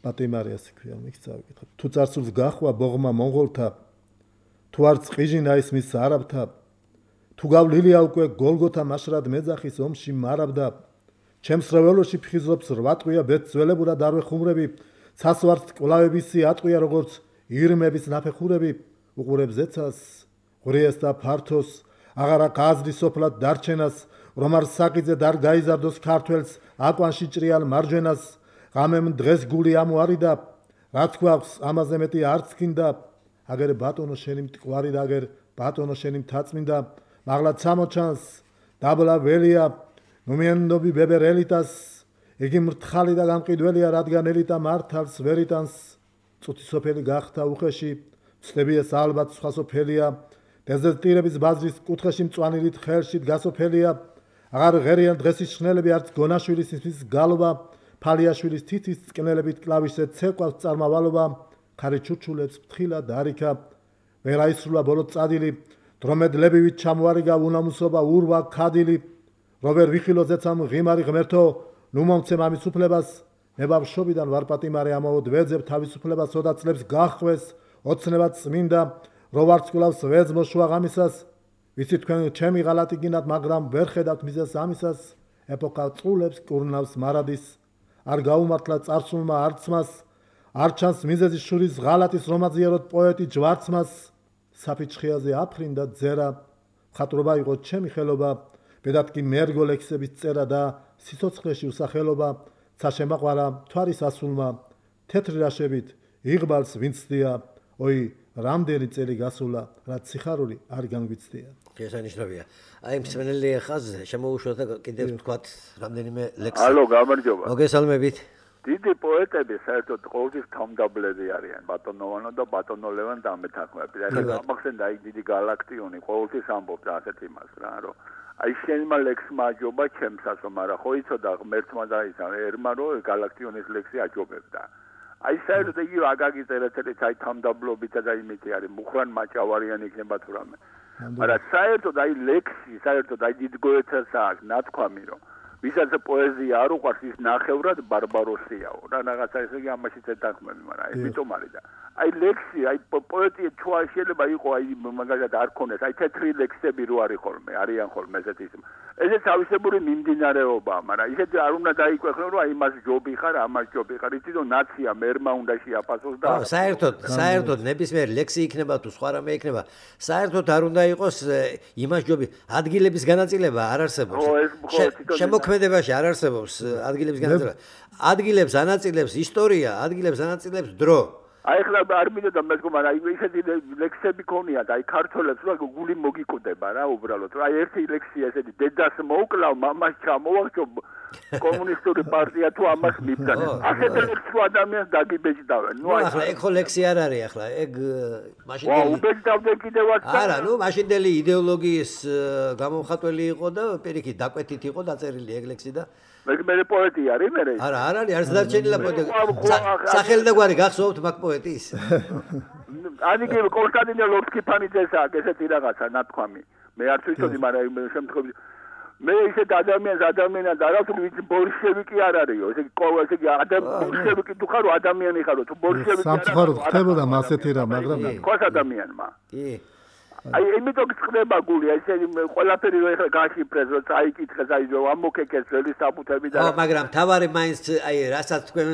პატიმარიას ქვია მიქ წავიკითხე. თუ წარსულს გახვა ბოღმა მონღოლთა თუ არ წყიჟინა ის მის არაბთა თუ გავლილია უკვე გოლგოთა მაშრად მეძახის ომში მარაბდა ჩემს რეველოში ფხიზობს 8 ტყვია ბეძველებურად არ ვეხუმრები ცასვართ კლავებისი ატყვია როგორც ირმების ნაფეხურები უყურებს ზეცას ღრიეს და ფართოს აღარა გაზრი სოფლად დარჩენას რომ არ საკიძე დარ გაიზარდოს ქართველს აკვანში ჭრიალ მარჯვენას ღამემ დღეს გული ამოარიდა რა თქواس ამაზე მეტი არც გინდა აგერ ბატონო შენი მტკვარი და აგერ ბატონო შენი მთაწმინდა მაღლა წამოჩანს დაბლა ველია ნუმენდობი ბებერელიტას იგი მრთხალი და გამყიდველია რადგან ელიტა მართალს ვერიტანს წუთი სოფელი გახდა უხეში ცდები ეს ალბათ სხვა სოფელია დეზერტირების ბაზრის კუთხეში მწვანილით ხელში გასოფელია აღარ ღერიან დღესის შნელები არც გონაშვილის ის გალობა ფალიაშვილის თითის წკნელებით კლავიშზე ცეკვავს წარმავალობა ხარი ჩურჩულებს ფრთხილად არიქა ვერ აისრულა ბოლო წადილი დრომედლებივით ჩამოარიგა უნამუსობა ურვა ქადილი როვერ ვიხილო ზეცამ ღიმარი ღმერთო ნუ მომცემ ამის უფლებას მე ბავშვობიდან ვარ პატიმარი ამაოდ ვეძებ თავისუფლებას ოდაცლებს გახვეს ოცნებად წმინდა რო ვარცხულავს ვეძმო შუაღამისას ვიცი თქვენ ჩემი ღალატი გინათ მაგრამ ვერ ხედავთ მიზეს ამისას ეპოქა წულებს კურნავს მარადის არ გაუმართლა წარსულმა არცმას არ ჩანს მიზეზის შურის ღალატის რომაზიეროთ პოეტი ჯვარცმას საფიჩხიაზე აფრინდა ძერა ხატრობა იყო ჩემი ხელობა ბედად კი მერგო ლექსების წერა და სიცოცხლეში უსახელობა ცაშემაყვარა თვარის ასულმა თეთრი რაშებით იღბალს ვინცდია oi რამდენი წელი გასულა რაც სიხარული არ განგვიცდია შესანიშნავია აი მსმენელი ხაზზე შემოუშვათ და კიდევ ვთქვათ რამდენიმე ლექსი ალო გამარჯობა მოგესალმებით დიდი პოეტები საერთოდ ყოველთვის თავმდაბლები არიან ბატონოვანო და ბატონო ლევან დამეთანხმები და გამახსენდა აი დიდი galaktioni ყოველთვის ამბობდა ასეთ იმას რა რომ აი შენმა ლექსმა აჯობა ჩემსასო მაგრამ ხო იცოდა ღმერთმა და ისა ერმა რომ galaktionis ლექსი აჯობებდა აი საერთოდ იგი აგაგის ერთერთი აი თავმდაბლობით და იმითი არის მუხრან მაჭავარიანი იქნება თუ რამე მაგრამ საერთოდ აი ლექსი საერთოდ აი დიდ გოეთას აქვს ნათქვამი რომ ვისაც პოეზია არ უყვარს ის ნახევრად ბარბაროსიაო რა რაღაცა ესე იგი ამაშიც ეთანხმები მაგრამ ამიტომ არის და აი ლექსი აი პოეტი თუ შეიძლება იყო აი მაგალითად არ ქონდეს აი თეთრი ლექსები რო არის ხოლმე არიან ხოლმე ესეთი ეს თავისებური მიმდინარეობა მაგრამ ისეთი არ უნდა დაიკვეხნო რომ აი იმას ჯობი ხარ ამას ჯობი ხარ იცი რომ ნაცია მერმა უნდა შეაფასოს და საერთოდ ნებისმიერ ლექსი იქნება თუ სხვა რამე იქნება საერთოდ არ უნდა იყოს იმას ჯობი ადგილების განაწილება არ არსებობს შემოქმედებაში არ არსებობს ადგილების განაწილება ადგილებს ანაწილებს ისტორია ადგილებს ანაწილებს დრო აი ახლა არ მინდოდა მეგონა, აი ისეთი ლექსები ქონიათ, აი ქართველებს რა გული მოგიკუდება რა უბრალოდ. აი ერთი ლექსია ესეთი დედას მოუკლავ, მამას ჩამოვარჩო კომუნისტური პარტია თუ ამას მიბრძანებს. ასეთ ლექსს ადამიანს დაგიბეჭდავენ. ნუ ახლა ეგ ხო ლექსი არ არის ახლა, ეგ მაშინდელი. ვა, უბეჭდავდე კიდევაც. არა, ნუ მაშინდელი idеოლოგიის გამომხატველი იყო და პირიქით დაკვეთით იყო დაწერილი ეგ ლექსი და მე პოეტი არის მე? არა, არ არის, არც დარჩენილა პოეტი. სახელი და გვარი გახსოვთ მაგ პოეტის? ანიკე კონსტანტინე ლორსკიფანიძეს აქვს ესეთი რაღაცა ნათქვამი. მე არ ვიცოდი, მაგრამ შემთხვევით მე ისეთ ადამიანს არასდროს ვიცი ბოლშევიკი არ არისო. ესე იგი ბოლშევიკი თუ ხარო ადამიანი ხარო, თუ ბოლშევიკი არ არის. სამწუხაროდ ხდებოდა მასეთი რა, მაგრამ თქვას ადამიანმა. კი. აი იმიტომ ხდება გული, ესე ყველაფერი რო ეხლა გაშიფრეს, რო წაიკითხეს, აი რო ამოქეკეს ძველი საფუთები და მაგრამ თავარი მაინც აი რასაც თქვენ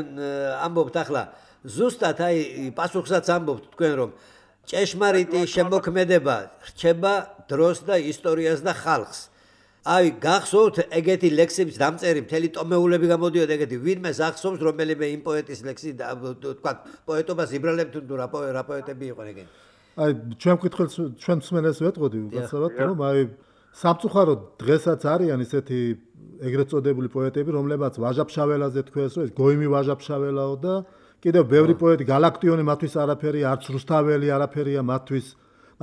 ამბობთ ახლა ზუსტად აი პასუხსაც ამბობთ თქვენ რომ ჭეშმარიტი შემოქმედება რჩება დროს და ისტორიას და ხალხს. აი გახსოვთ ეგეთი ლექსების დამწერი მთელი ტომეულები გამოდიოდა ეგეთი ვინმეს ახსოვს რომელიმე იმ პოეტის ლექსი თქვა პოეტობას იბრალებთ თუ რა პოეტები იყვნენ ეგენი. აი ჩვენ მკითხველს ჩვენ მსმენელს ვეტყოდი უბრალოდ რომ აი სამწუხაროდ დღესაც არიან ისეთი ეგრეთ წოდებული პოეტები რომლებაც ვაჟაფშაველაზე თქვეს რომ ეს გოიმი ვაჟაფშაველაო და კიდევ ბევრი პოეტი galaktioni მათთვის არაფერი არც რუსთაველი არაფერია მათთვის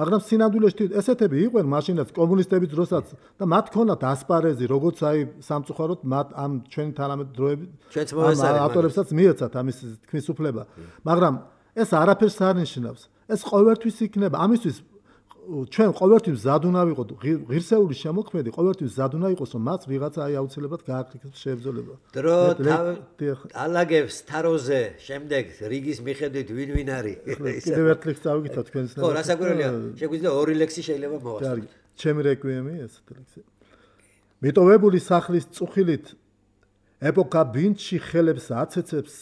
მაგრამ სინამდვილეში ესეთები იყვნენ მაშინაც კომუნისტების დროსაც და მათ ქონათ ასპარეზი როგორც აი სამწუხაროდ მათ ამ ჩვენი თანამედროვე დროები ავტორებსაც მიეცათ ამის თქმის უფლება მაგრამ ეს არაფერს არ ნიშნავს ეს ყოველთვის იქნება ამისთვის ჩვენ ყოველთვის მზად უნდა ვიყოთ ღირსეული შემოქმედი ყოველთვის მზად უნდა იყოს რომ მას ვიღაცა აი აუცილებლად გააკრიტოს შეებრძოლება დრო ალაგებს თაროზე შემდეგ რიგის მიხედვით ვინ არის კიდევ ერთ ლექსს ავიგეთ თქვენს ხო რასაკვირველია შეგვიძლია ორი ლექსი შეიძლება მოვასწროთ ჩემი რეკვიემი ესეთი ლექსი მიტოვებული სახლის წუხილით ეპოქა ბინჩი ხელებს აცეცებს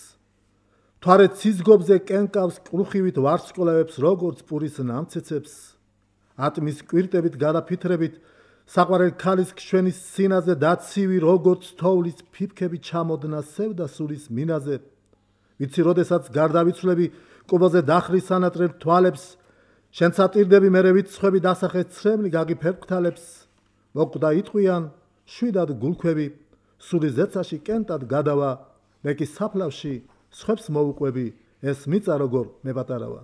თვარე ცისგობზე კენკავს კრუხივით ვარსკვლავებს როგორც პურის ნამცეცებს ატმის კვირტებით გადაფითრებით საყვარელ ქალის ქსვენის სინაზე დაცივი როგორც თოვლის ფიფქები ჩამოდნა სევდა სულის მინაზე ვიცი როდესაც გარდავიცვლები კუბაზე დახრის სანატრებ თვალებს შენ სატირდები მერე ვიცხვები დასახე ცრემლი გაგიფერფქთალებს მოკვდა იტყვიან შვიდად გულქვები სულის ზეცაში კენტად გადავა მე კი საფლავში სხვებს მოუყვები ეს მიწა როგორ მეპატარავა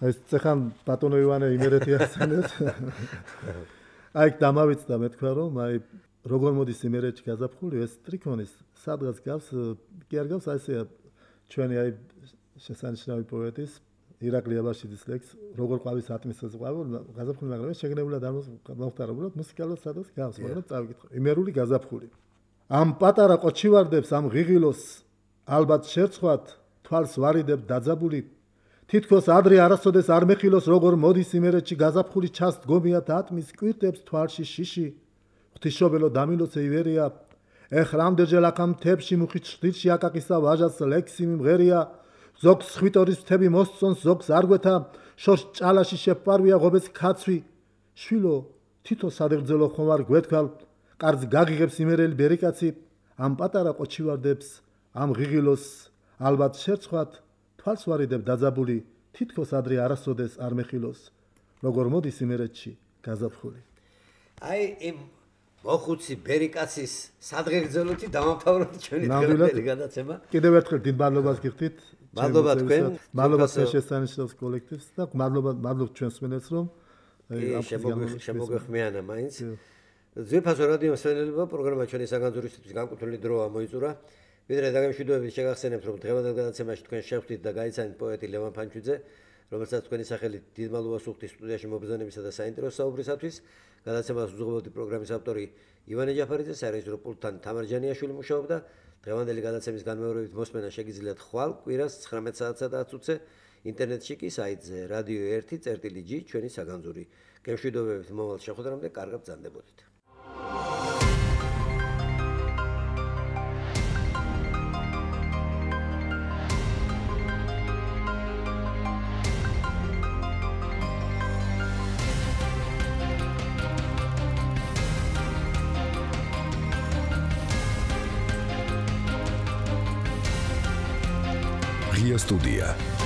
ეს წეხან ბატონო ივანე იმერეთი ახსენებს აი დამავიწყდა მე თქვა რომ აი როგორ მოდის იმერეთში გაზაფხული ეს ტრიქონის სადღაც გავს კი არ გავს აი ესეა ჩვენი აი შესანიშნავი პოეტის ირაკლი აბაშიძის ლექს როგორ ყვავის ატმისას ყვავა გაზაფხული მაგრამ ეს შეგნებულად არ მოხდარა უბრალოდ მუსიკალურად სადღაც გავს მაგრამ წავიკითხე იმერული გაზაფხული ამ პატარა ყოჩივარდებს ამ ღიღილოს ალბათ შერცხვათ თვალს ვარიდებ დაძაბული თითქოს ადრე არასოდეს არ მეხილოს როგორ მოდის იმერეთში გაზაფხული ჩას დგომიათ ატმის კვირტებს თვალში შიში ღვთისმშობელო დამილოცე ივერია ეხლა ამდენჯერ აქამ თებში მუხით შტილში აკაკისა ვაჟას ლექსი მიმღერია ზოგს ხვიტორის მთები მოსწონს ზოგს არ გვეთა შორს ჭალაში შეფარვია ღობეს ქაცვი შვილო თითო სადღერძელო ხომარ გვეთქალ კარს გაგიღებს იმერელი ბერიკაცი ამ პატარა ყოჩივარდებს ამ ღიღილოს ალბათ შერცხვათ თვალს ვარიდებ დაძაბული თითქოს ადრე არასოდეს არ მეხილოს როგორ მოდის იმერეთში გაზაფხული აი იმ მოხუცი ბერიკაცის სადღერძელოთი დამამთავროთ ჩვენი დღევანდელი გადაცემა კიდევ ერთხელ დიდ მადლობას გიხდით მადლობა თქვენ მადლობა შესანიშნავს კოლექტივს და მადლობა ჩვენს მსმენელს რომ შემოგვეხმიანა მაინც ძვირფასო რადიო მსმენელებო პროგრამა ჩვენი საგანძურისთვის განკუთვნილი დროა მოიწურა ვიდრე დაგემშვიდობებით შეგახსენებთ რომ დღევანდელ გადაცემაში თქვენ შევხვდით და გაიცანით პოეტი ლევან ფანჩუძე რომელსაც თქვენი სახელით დიდ მადლობას ვუხდით სტუდიაში მობრძანებისა და საინტერესო საუბრისათვის გადაცემას უძღვებოდი პროგრამის ავტორი ივანე ჯაფარიძე სარეჟისორო პულტთან თამარ ჯანიაშვილი მუშაობდა დღევანდელი გადაცემის განმეორებით მოსმენა შეგიძლიათ ხვალ კვირას 19 საათსა და 10 წუთზე ინტერნეტში კი საიტზე radio 1.gi ჩვენი საგანძური გემშვიდობებით მომავალ შეხვედრამდე კარგად ბრძანდებოდით Ria Studia.